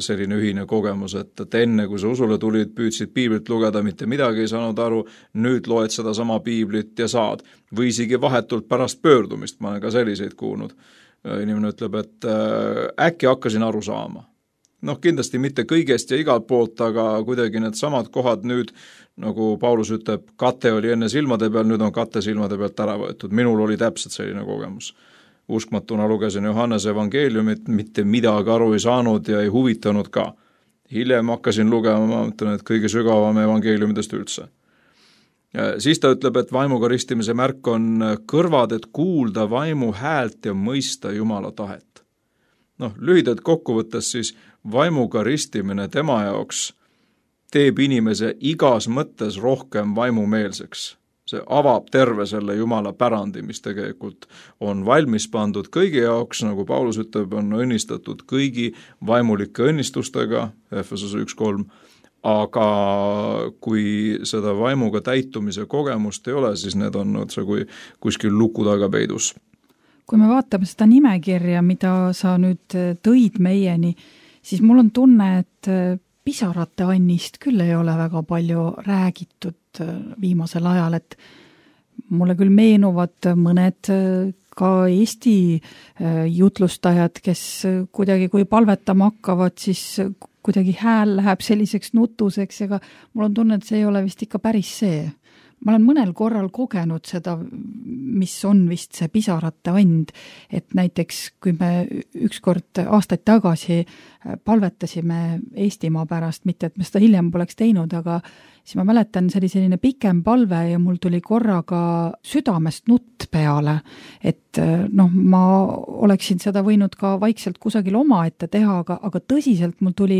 selline ühine kogemus, et enne kui sa usule tulid, püüdsid piiblit lugeda, mitte midagi ei saanud aru, nüüd loed seda sama piiblit ja saad. Või isegi vahetult pärast pöördumist, ma olen ka selliseid kuulnud. Inimene ütleb, et äkki hakkasin aru saama. Noh, kindlasti mitte kõigest ja igalt poolt, aga kuidagi need samad kohad nüüd, nagu Paulus ütleb, kate oli enne silmade peal, nüüd on kate silmade pealt ära võetud. Minul oli täpselt selline kogemus. Uskmatuna lugesin Johannese evangeeliumit, mitte midagi aru ei saanud ja ei huvitanud ka. Hiljem hakkasin lugema, ma mõtlen, et kõige sügavam evangeeliumidest üldse. Siis ta ütleb, et vaimuga ristimise märk on kõrvad, et kuulda vaimu häält ja mõista Jumala tahet. Lühidalt kokkuvõttes siis vaimuga ristimine tema jaoks teeb inimese igas mõttes rohkem vaimumeelseks. See avab terve selle Jumala pärandi, mis tegelikult on valmis pandud kõigi jaoks, nagu Paulus ütleb, on õnnistatud kõigi vaimulike õnnistustega, Efesose 1.3, aga kui seda vaimuga täitumise kogemust ei ole, siis need on otse kui kuskil luku taga peidus. Kui me vaatame seda nimekirja, mida sa nüüd tõid meieni, siis mul on tunne, et pisarate annist küll ei ole väga palju räägitud viimasel ajal, et mulle küll meenuvad mõned ka Eesti jutlustajad, kes kuidagi, kui palvetama hakkavad, siis kuidagi hääl läheb selliseks nutuseks, ega mul on tunne, et see ei ole vist ikka päris see. Ma olen mõnel korral kogenud seda, mis on vist see pisarate and, et näiteks kui me ükskord aastaid tagasi palvetasime Eestimaa pärast, mitte et me seda hiljem poleks teinud, aga siis ma mäletan, see oli selline pikem palve ja mul tuli korraga südamest nutt peale, et ma oleksin seda võinud ka vaikselt kusagil omaette teha, aga tõsiselt mul tuli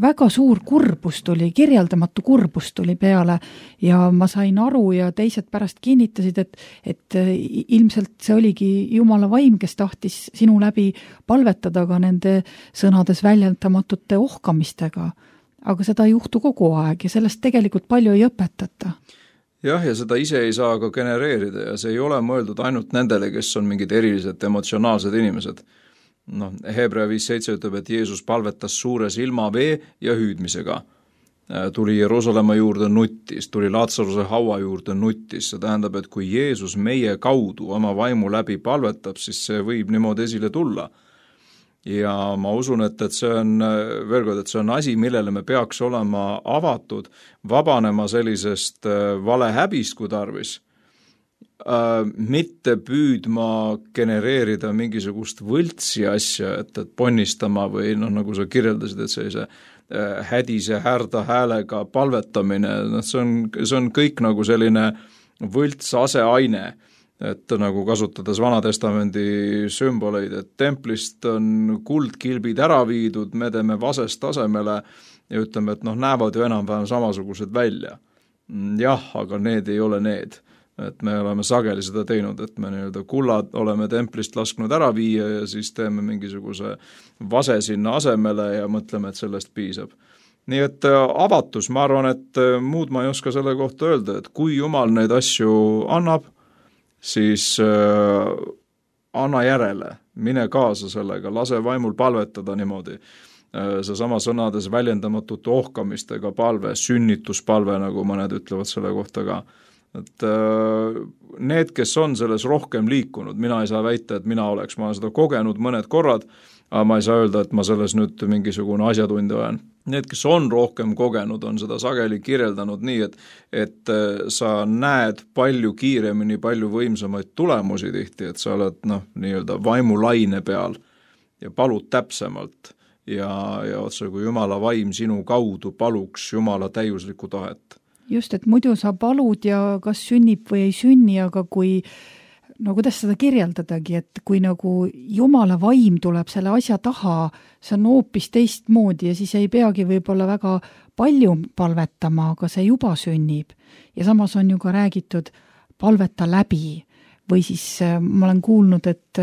väga suur kurbus tuli, kirjeldamatu kurbus tuli peale ja ma sain aru ja teised pärast kinnitasid, et ilmselt see oligi Jumala vaim, kes tahtis sinu läbi palvetada ka nende sõnades väljendamatute ohkamistega. Aga seda ei juhtu kogu aeg ja sellest tegelikult palju ei õpetata. Jah, ja seda ise ei saa ka genereerida ja see ei ole mõeldud ainult nendele, kes on mingid erilised emotsionaalsed inimesed. Hebrea 5.7 ütleb, et Jeesus palvetas suures ilmavee ja hüüdmisega. Tuli Jeruusalemma juurde nuttis, tuli Laatsaruse haua juurde nuttis. See tähendab, et kui Jeesus meie kaudu oma vaimu läbi palvetab, siis see võib niimoodi esile tulla. Ja ma usun, et see on, veel kord, et see on asi, millele me peaks olema avatud, vabanema sellisest valehäbist, kui tarvis, mitte püüdma genereerida mingisugust võltsi asja, et ponnistama või nagu sa kirjeldasid, et sellise hädise härda häälega palvetamine, see on kõik nagu selline võlts aseaine, et nagu kasutades Vanatestamendi sümboleid, et templist on kuldkilbid ära viidud, me teeme vasest tasemele ja ütleme, et näevad ju enam-vähem samasugused välja. Jah, aga need ei ole need. Et me oleme sageli seda teinud, et me kullad oleme templist lasknud ära viia ja siis teeme mingisuguse vase sinna asemele ja mõtleme, et sellest piisab. Nii et avatus, ma arvan, et muud ma ei oska selle kohta öelda, et kui Jumal neid asju annab, siis anna järele, mine kaasa sellega, lase vaimul palvetada niimoodi. Seesama sõnades väljendamatute ohkamistega palve, sünnituspalve, nagu mõned ütlevad selle kohta ka. Et need, kes on selles rohkem liikunud, mina ei saa väita, et ma olen seda kogenud mõned korrad, aga ma ei saa öelda, et ma selles nüüd mingisugune asjatundja olen. Need, kes on rohkem kogenud, on seda sageli kirjeldanud nii, et sa näed palju kiiremini, palju võimsamaid tulemusi tihti, et sa oled nii-öelda vaimulaine peal ja palud täpsemalt ja otse kui Jumala vaim sinu kaudu paluks Jumala täiuslikku tahet. Just, et muidu sa palud ja kas sünnib või ei sünni, aga kui, kuidas seda kirjeldadagi, et kui nagu Jumala vaim tuleb selle asja taha, see on hoopis teistmoodi ja siis ei peagi võib-olla väga palju palvetama, aga see juba sünnib. Ja samas on ju ka räägitud palveta läbi või siis ma olen kuulnud, et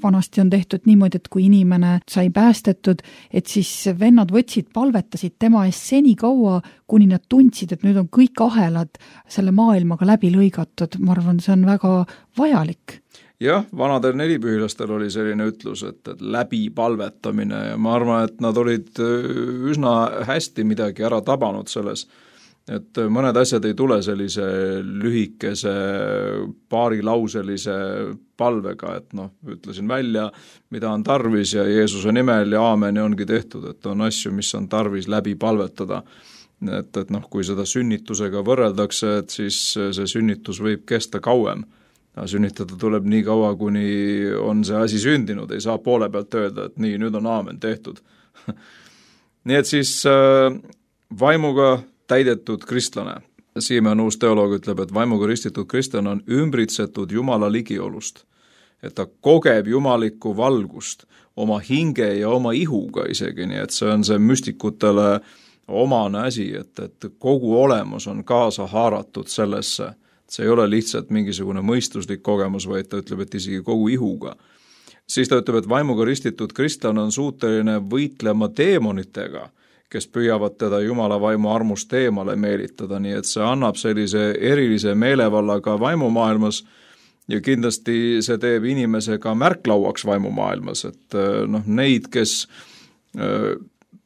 vanasti on tehtud niimoodi, et kui inimene sai päästetud, et siis vennad palvetasid tema eest seni kaua, kuni nad tundsid, et nüüd on kõik ahelad selle maailmaga läbi lõigatud. Ma arvan, see on väga vajalik. Jah, vanadel nelipühilastel oli selline ütlus, et läbi palvetamine ja ma arvan, et nad olid üsna hästi midagi ära tabanud selles. Et mõned asjad ei tule sellise lühikese paarilauselise palvega, et ütlesin välja, mida on tarvis ja Jeesuse nimel ja aamen ja ongi tehtud, et on asju, mis on tarvis läbi palvetada. Et kui seda sünnitusega võrreldakse, et siis see sünnitus võib kesta kauem. Sünnitada tuleb nii kaua, kuni on see asi sündinud, ei saa poole pealt öelda, et nii, nüüd on aamen tehtud. Nii et siis vaimuga täidetud kristlane. Siimen uus teoloog ütleb, et vaimuga ristitud kristlane on ümbritsetud Jumala ligiolust. Et ta kogeb jumalikku valgust oma hinge ja oma ihuga isegi, nii et see on see müstikutele omane asi, et kogu olemus on kaasa haaratud sellesse. See ei ole lihtsalt mingisugune mõistuslik kogemus, vaid ta ütleb, et isegi kogu ihuga. Siis ta ütleb, et vaimuga ristitud kristlane on suuteline võitlema deemonitega, kes püüavad teda Jumala vaimu armust eemale meelitada, nii et see annab sellise erilise meelevallaga vaimumaailmas ja kindlasti see teeb inimese ka märklauaks vaimumaailmas, et neid, kes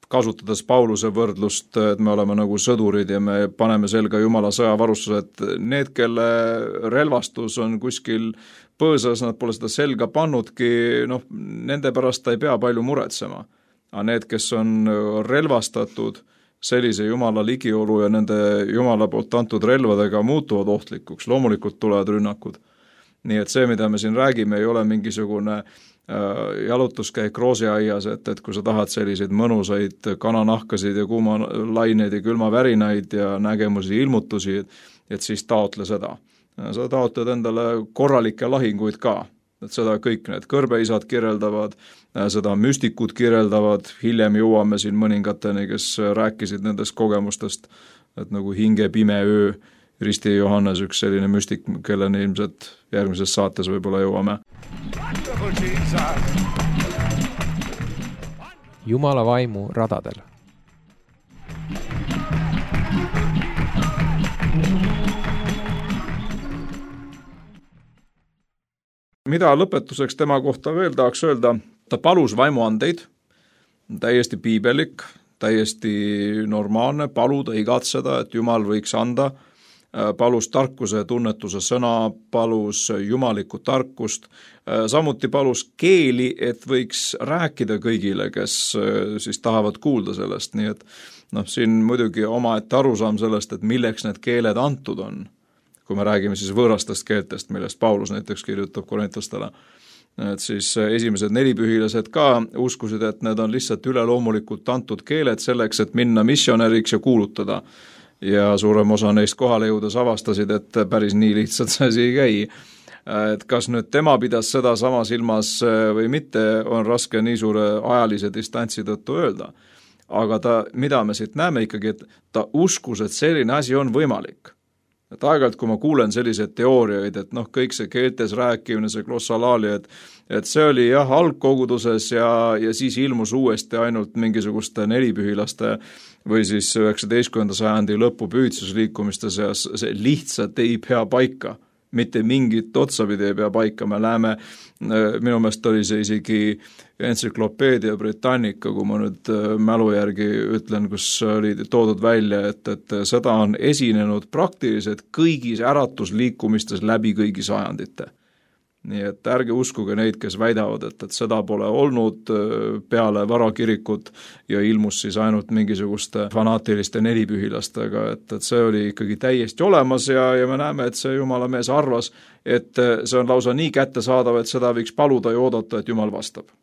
kasutades Pauluse võrdlust, et me oleme nagu sõdurid ja me paneme selga Jumala sõjavarustuse, et need, kelle relvastus on kuskil põõsas, nad pole seda selga pannudki, nende pärast ta ei pea palju muretsema. Aga need, kes on relvastatud sellise Jumala ligiolu ja nende Jumala poolt antud relvadega muutuvad ohtlikuks, loomulikult tulevad rünnakud. Nii et see, mida me siin räägime, ei ole mingisugune jalutuskäik roosiaias, et kui sa tahad selliseid mõnusaid kananahkasid ja kuumalaineid ja külmavärinaid ja nägemusi ilmutusi, et siis taotle seda. Sa taotled endale korralikke lahinguid ka, et seda kõik need kõrbeisad kirjeldavad, seda müstikud kirjeldavad, hiljem jõuame siin mõningateni, kes rääkisid nendest kogemustest, et nagu hinge pime öö, Risti Johannes, üks selline müstik, kelleni ilmselt järgmises saates võib-olla jõuame. Jumala vaimu radadel. Mida lõpetuseks tema kohta veel tahaks öelda? Ta palus vaimuandeid, täiesti piibelik, täiesti normaalne, paluda, igatseda, et Jumal võiks anda, palus tarkuse ja tunnetuse sõna, palus jumalikku tarkust, samuti palus keeli, et võiks rääkida kõigile, kes siis tahavad kuulda sellest, nii et siin muidugi omaette arusaam sellest, et milleks need keeled antud on, kui me räägime siis võõrastest keeltest, millest Paulus näiteks kirjutab korintlastele, et siis esimesed nelipühilased ka uskusid, et need on lihtsalt üleloomulikult antud keeled selleks, et minna missionäriks ja kuulutada. Ja suurem osa neist kohale jõudes avastasid, et päris nii lihtsalt see asi ei käi. Et kas nüüd tema pidas seda sama silmas või mitte, on raske nii suure ajalise distantsi tõttu öelda. Aga mida me siit näeme ikkagi, et ta uskus, et selline asi on võimalik. Et aeg-ajalt, kui ma kuulen selliseid teooriaid, et kõik see keeltes rääkimine, see glossalaali, et see oli jah algkoguduses ja siis ilmus uuesti ainult mingisuguste nelipühilaste või siis 19. sajandi lõpu püüdsusliikumiste seas, see lihtsalt ei pea paika. Mitte mingit otsapidi ei pea paika, me näeme, minu meelest oli see isegi entsüklopeedia Britannica, kui ma nüüd mälu järgi ütlen, kus oli toodud välja, et seda on esinenud praktiliselt kõigis äratusliikumistes läbi kõigi sajandite. Nii et ärge uskuge neid, kes väidavad, et seda pole olnud peale varakirikut ja ilmus siis ainult mingisuguste fanaatiliste nelipühilastega, et see oli ikkagi täiesti olemas ja me näeme, et see Jumala mees arvas, et see on lausa nii kättesaadav, et seda võiks paluda ja oodata, et Jumal vastab.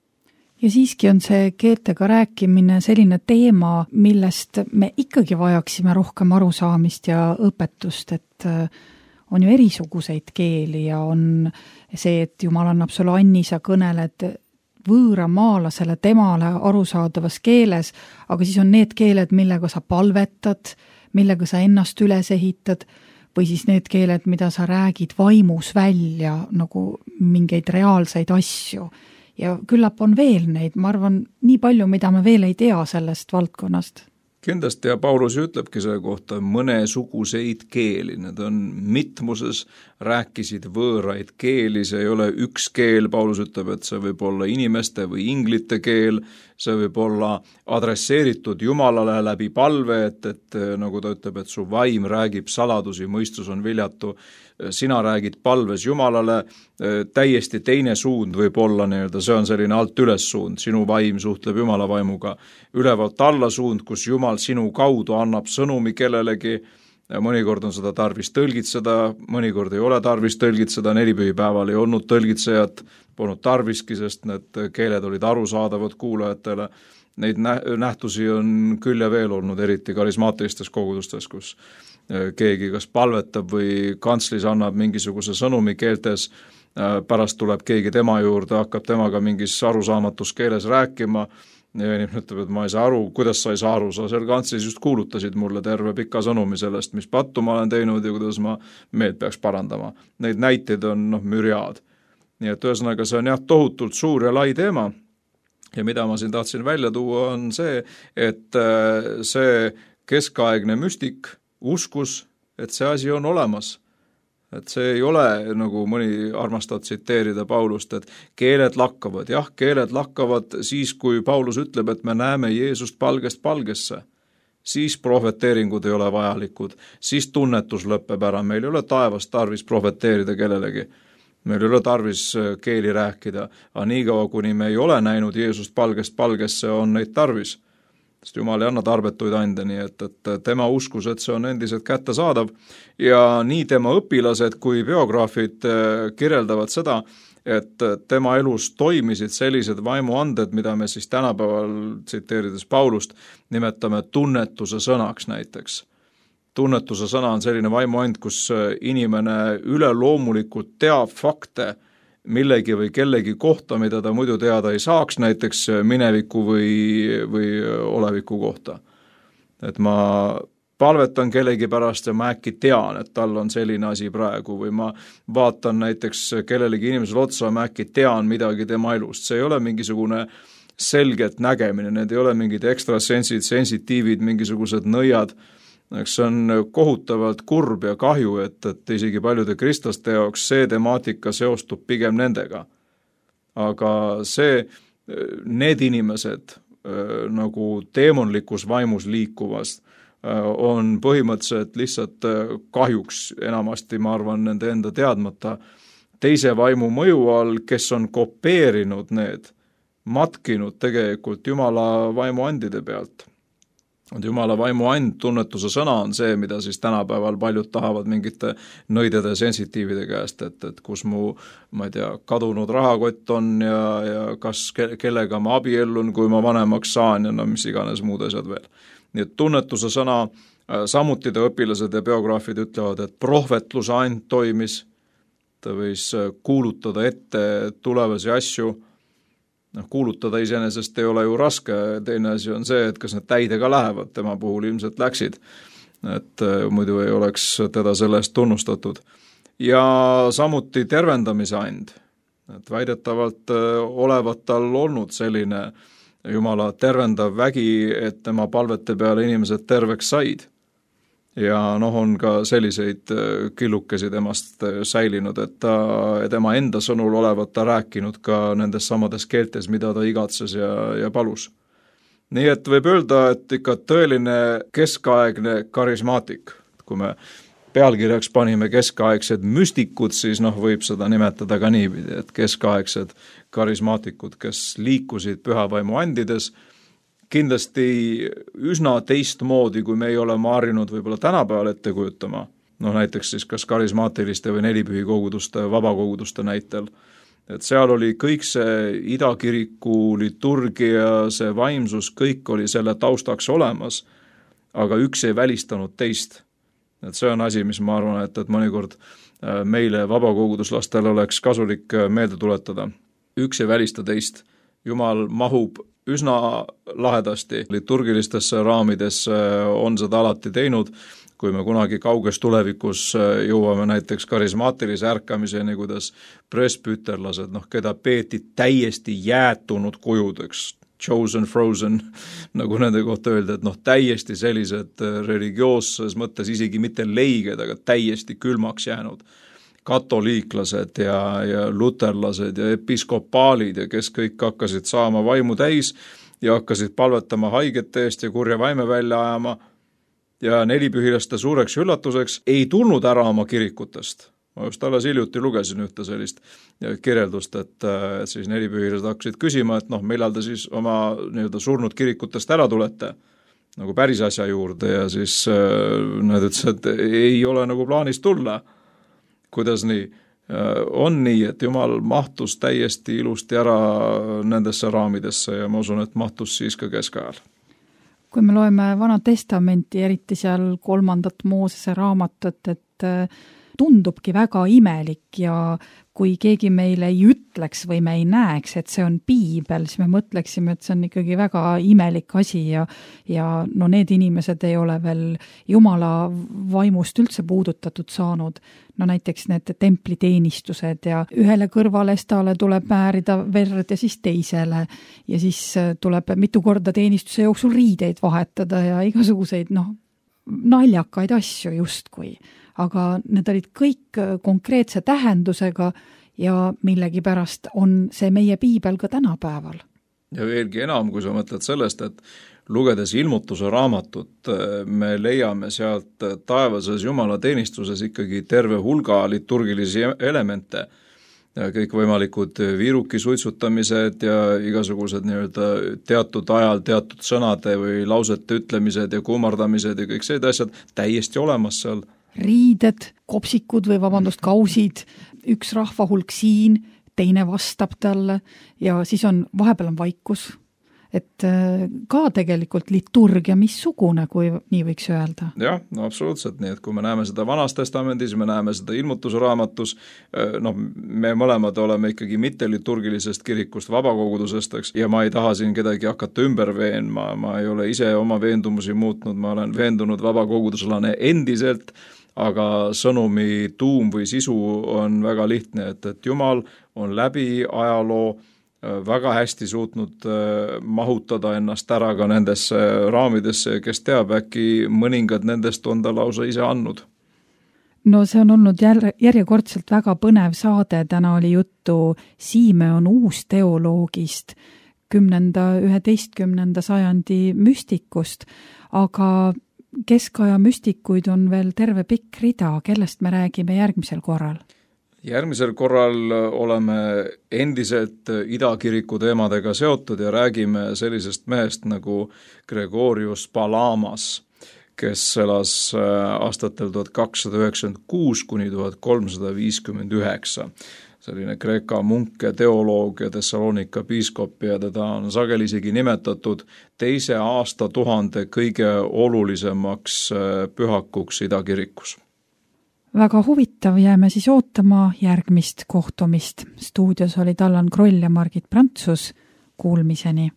Ja siiski on see keeltega rääkimine selline teema, millest me ikkagi vajaksime rohkem arusaamist ja õpetust, et on ju erisuguseid keeli ja on see, et Jumal annab sulle anni, sa kõneled võõramaalasele temale arusaadavas keeles, aga siis on need keeled, millega sa palvetad, millega sa ennast üles ehitad, või siis need keeled, mida sa räägid vaimus välja, nagu mingeid reaalseid asju. Ja küllap on veel neid, ma arvan, nii palju, mida me veel ei tea sellest valdkonnast. Kindlasti ja Paulus ütlebki selle kohta mõnesuguseid keeli, need on mitmuses, rääkisid võõraid keeli, see ei ole üks keel, Paulus ütleb, et see võib olla inimeste või inglite keel, see võib olla adresseeritud Jumalale läbi palve, et nagu ta ütleb, et su vaim räägib saladusi, mõistus on viljatu, sina räägid palves Jumalale, täiesti teine suund võib olla, see on selline alt üles suund, sinu vaim suhtleb Jumala vaimuga, ülevalt alla suund, kus Jumal sinu kaudu annab sõnumi kellelegi, mõnikord on seda tarvis tõlgitseda, mõnikord ei ole tarvis tõlgitseda, nelipühipäeval ei olnud tõlgitsejat, polnud tarviski, sest need keeled olid arusaadavad kuulajatele. Neid nähtusi on küll ja veel olnud, eriti karismaatilistes kogudustes, kus keegi kas palvetab või kantslis annab mingisuguse sõnumi keeltes, pärast tuleb keegi tema juurde, hakkab temaga mingis arusaamatus keeles rääkima ja inimene ütleb, et ma ei saa aru, kuidas sa ei saa aru, sa seal kantslis just kuulutasid mulle terve pika sõnumi sellest, mis pattu ma olen teinud ja kuidas ma meelt peaks parandama. Neid näiteid on mürjaad. Nii et ühesõnaga see on jah tohutult suur ja lai teema ja mida ma siin tahtsin välja tuua on see, et see keskaegne müstik uskus, et see asi on olemas. Et see ei ole, nagu mõni armastab tsiteerida Paulust, et keeled lakkavad. Jah, keeled lakkavad siis, kui Paulus ütleb, et me näeme Jeesust palgest palgesse. Siis prohveteeringud ei ole vajalikud, siis tunnetus lõpeb ära. Meil ei ole taevast tarvis prohveteerida kellelegi. Meil ei ole tarvis keeli rääkida. Aga niikaua, kuni me ei ole näinud Jeesust palgest palgesse, on neid tarvis. sest Jumal ei anna tarbetuid ande, nii et tema uskus, et see on endiselt kättesaadav ja nii tema õpilased kui biograafid kirjeldavad seda, et tema elus toimisid sellised vaimuanded, mida me siis tänapäeval, tsiteerides Paulust, nimetame tunnetuse sõnaks näiteks. Tunnetuse sõna on selline vaimuand, kus inimene üleloomulikult teab fakte millegi või kellegi kohta, mida ta muidu teada ei saaks, näiteks mineviku või oleviku kohta. Et ma palvetan kellegi pärast ja ma äkki tean, et tal on selline asi praegu või ma vaatan näiteks kellelegi inimesele otsa ja ma äkki tean midagi tema elust. See ei ole mingisugune selget nägemine, need ei ole mingid ekstrasensid, sensitiivid, mingisugused nõiad. See on kohutavalt kurb ja kahju, et isegi paljude kristlaste jaoks see temaatika seostub pigem nendega. Aga need inimesed nagu teemonlikus vaimus liikuvast on põhimõtteliselt lihtsalt kahjuks enamasti, ma arvan, nende enda teadmata teise vaimu mõju all, kes on kopeerinud need, matkinud tegelikult Jumala vaimuandide pealt. Jumala vaimuand, tunnetuse sõna on see, mida siis tänapäeval paljud tahavad mingite nõidede sensitiivide käest, et kus mu, ma ei tea, kadunud rahakott on ja kas kellega ma abiellun, kui ma vanemaks saan ja no mis iganes muud asjad veel. Nii et tunnetuse sõna, samuti ta õpilased ja biograafid ütlevad, et prohvetluse and toimis, ta võis kuulutada ette tulevasi asju. Kuulutada iseenesest ei ole ju raske, teine asi on see, et kas need täidega lähevad, tema puhul ilmselt läksid, et muidu ei oleks teda selle eest tunnustatud. Ja samuti tervendamise and, et väidetavalt olevat tal olnud selline Jumala tervendav vägi, et tema palvete peale inimesed terveks said. Ja on ka selliseid killukesi temast säilinud, et tema enda sõnul olevat ta rääkinud ka nendes samades keeltes, mida ta igatses ja palus. Nii et võib öelda, et ikka tõeline keskaegne karismaatik. Kui me pealkirjaks panime keskaegsed müstikud, siis võib seda nimetada ka niipidi, et keskaegsed karismaatikud, kes liikusid pühavaimu andides, kindlasti üsna teistmoodi, kui me ei ole harjunud võib-olla tänapäeval ette kujutama, näiteks siis kas karismaatiliste või nelipühikoguduste, vabakoguduste näitel, et seal oli kõik see idakiriku liturgia, see vaimsus, kõik oli selle taustaks olemas, aga üks ei välistanud teist. Et see on asi, mis ma arvan, et mõnikord meile vabakoguduslastele oleks kasulik meelde tuletada. Üks ei välista teist. Jumal mahub üsna lahedasti liturgilistesse raamidesse, on seda alati teinud, kui me kunagi kauges tulevikus jõuame näiteks karismaatilise ärkamiseni, kuidas presbüterlased, keda peeti täiesti jäätunud kujudeks, chosen, frozen, nagu nende kohta öelda, et täiesti sellised religioosses mõttes isegi mitte leiged, aga täiesti külmaks jäänud katoliiklased ja luterlased ja episkopaalid ja kes kõik hakkasid saama vaimu täis ja hakkasid palvetama haigete eest ja kurja vaime välja ajama ja nelipühilaste suureks üllatuseks ei tulnud ära oma kirikutest. Ma just alles hiljuti lugesin ühte sellist kirjeldust, et siis nelipühilased hakkasid küsima, et millal te siis oma surnud kirikutest ära tulete nagu päris asja juurde ja siis nad ütlesid, et ei ole nagu plaanis tulla. Kuidas nii? On nii, et Jumal mahtus täiesti ilusti ära nendesse raamidesse ja ma usun, et mahtus siis ka keskajal. Kui me loeme Vana Testamenti, eriti seal 3. Moosese raamatut, et tundubki väga imelik ja kui keegi meile ei ütleks või me ei näeks, et see on piibel, siis me mõtleksime, et see on ikkagi väga imelik asi ja need inimesed ei ole veel Jumala vaimust üldse puudutatud saanud. Näiteks need templiteenistused ja ühele kõrvalestale tuleb määrida verd ja siis teisele ja siis tuleb mitu korda teenistuse jooksul riideid vahetada ja igasuguseid naljakaid asju justkui. Aga need olid kõik konkreetse tähendusega ja millegipärast on see meie piibel ka tänapäeval. Ja veelgi enam, kui sa mõtled sellest, et lugedes ilmutuse raamatut, me leiame sealt taevases Jumala teenistuses ikkagi terve hulga liturgilisi elemente, kõikvõimalikud viirukisuitsutamised ja igasugused nii-öelda teatud ajal teatud sõnade või lausete ütlemised ja kummardamised ja kõik sellised asjad täiesti olemas seal. Riided, kopsikud või kausid, üks rahvahulk siin, teine vastab talle ja siis vahepeal on vaikus. Et ka tegelikult liturgia missugune, kui nii võiks öelda. Jah, no absoluutselt, nii et kui me näeme seda Vanas Testamendis, me näeme seda ilmutusraamatus, me mõlemad oleme ikkagi mitte liturgilisest kirikust, vabakogudusest, eks, ja ma ei taha siin kedagi hakata ümber veenma, ma ei ole ise oma veendumusi muutnud, ma olen veendunud vabakoguduslane endiselt, aga sõnumi tuum või sisu on väga lihtne, et Jumal on läbi ajaloo väga hästi suutnud mahutada ennast ära ka nendesse raamidesse, kes teab, äkki mõningad nendest on ta lausa ise andnud. No see on olnud järjekordselt väga põnev saade, täna oli juttu Simeon uusteoloogist, 10.–11. sajandi müstikust, aga keskaja müstikuid on veel terve pikk rida, kellest me räägime järgmisel korral? Järgmisel korral oleme endiselt idakiriku teemadega seotud ja räägime sellisest mehest nagu Gregorius Palamas, kes elas aastatel 1296 kuni 1359. Selline Kreeka munk ja teoloog ja Thessalonika piiskop ja teda on sageli isegi nimetatud teise aastatuhande kõige olulisemaks pühakuks idakirikus. Väga huvitav, jääme siis ootama järgmist kohtumist. Stuudios olid Allan Kroll ja Margit Prantsus. Kuulmiseni.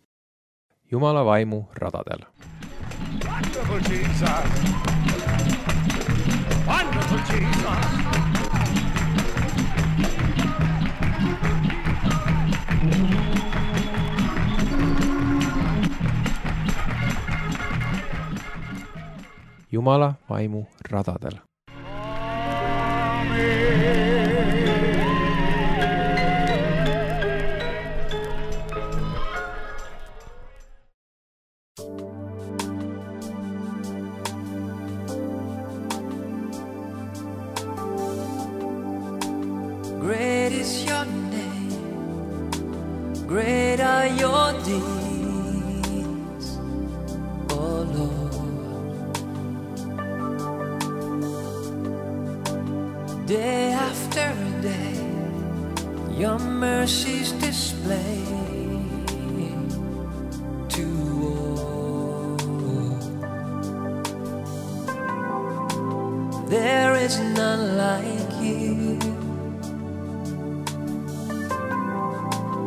Jumala vaimu radadel. Wonderful Jesus. Wonderful Jesus. Jumala vaimu radadel. Great is your name, great are your deeds, oh Lord. Day after day, your mercies display to all. There is none like you,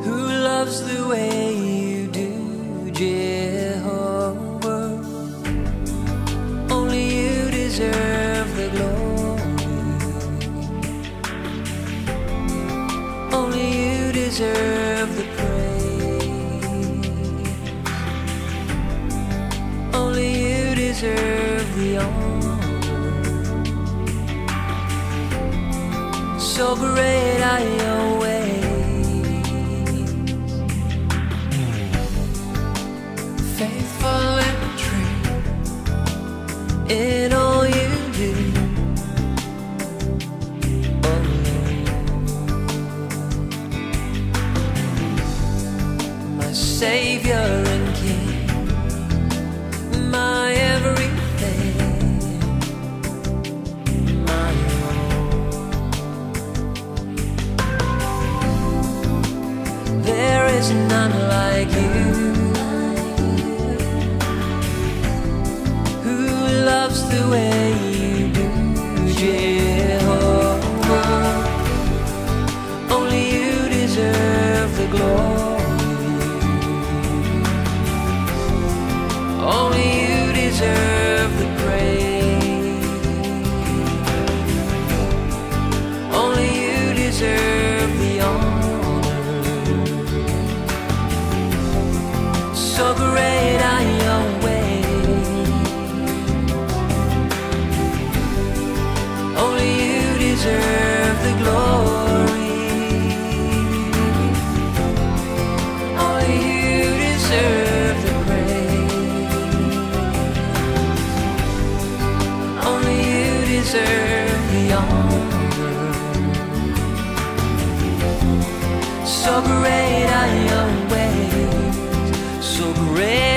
who loves the way you do, Jehovah. Only you deserve the glory, only you deserve the praise, only you deserve the honor. So great are your ways, faithful and true in all you do, oh Lord. My Savior and King, my everything, my all. There is none like you, loves the way you do, Jehovah. Only you deserve the glory, only you deserve the praise, only you deserve the honor. So great are your ways, only you deserve the glory, only you deserve the praise, great are your ways, so great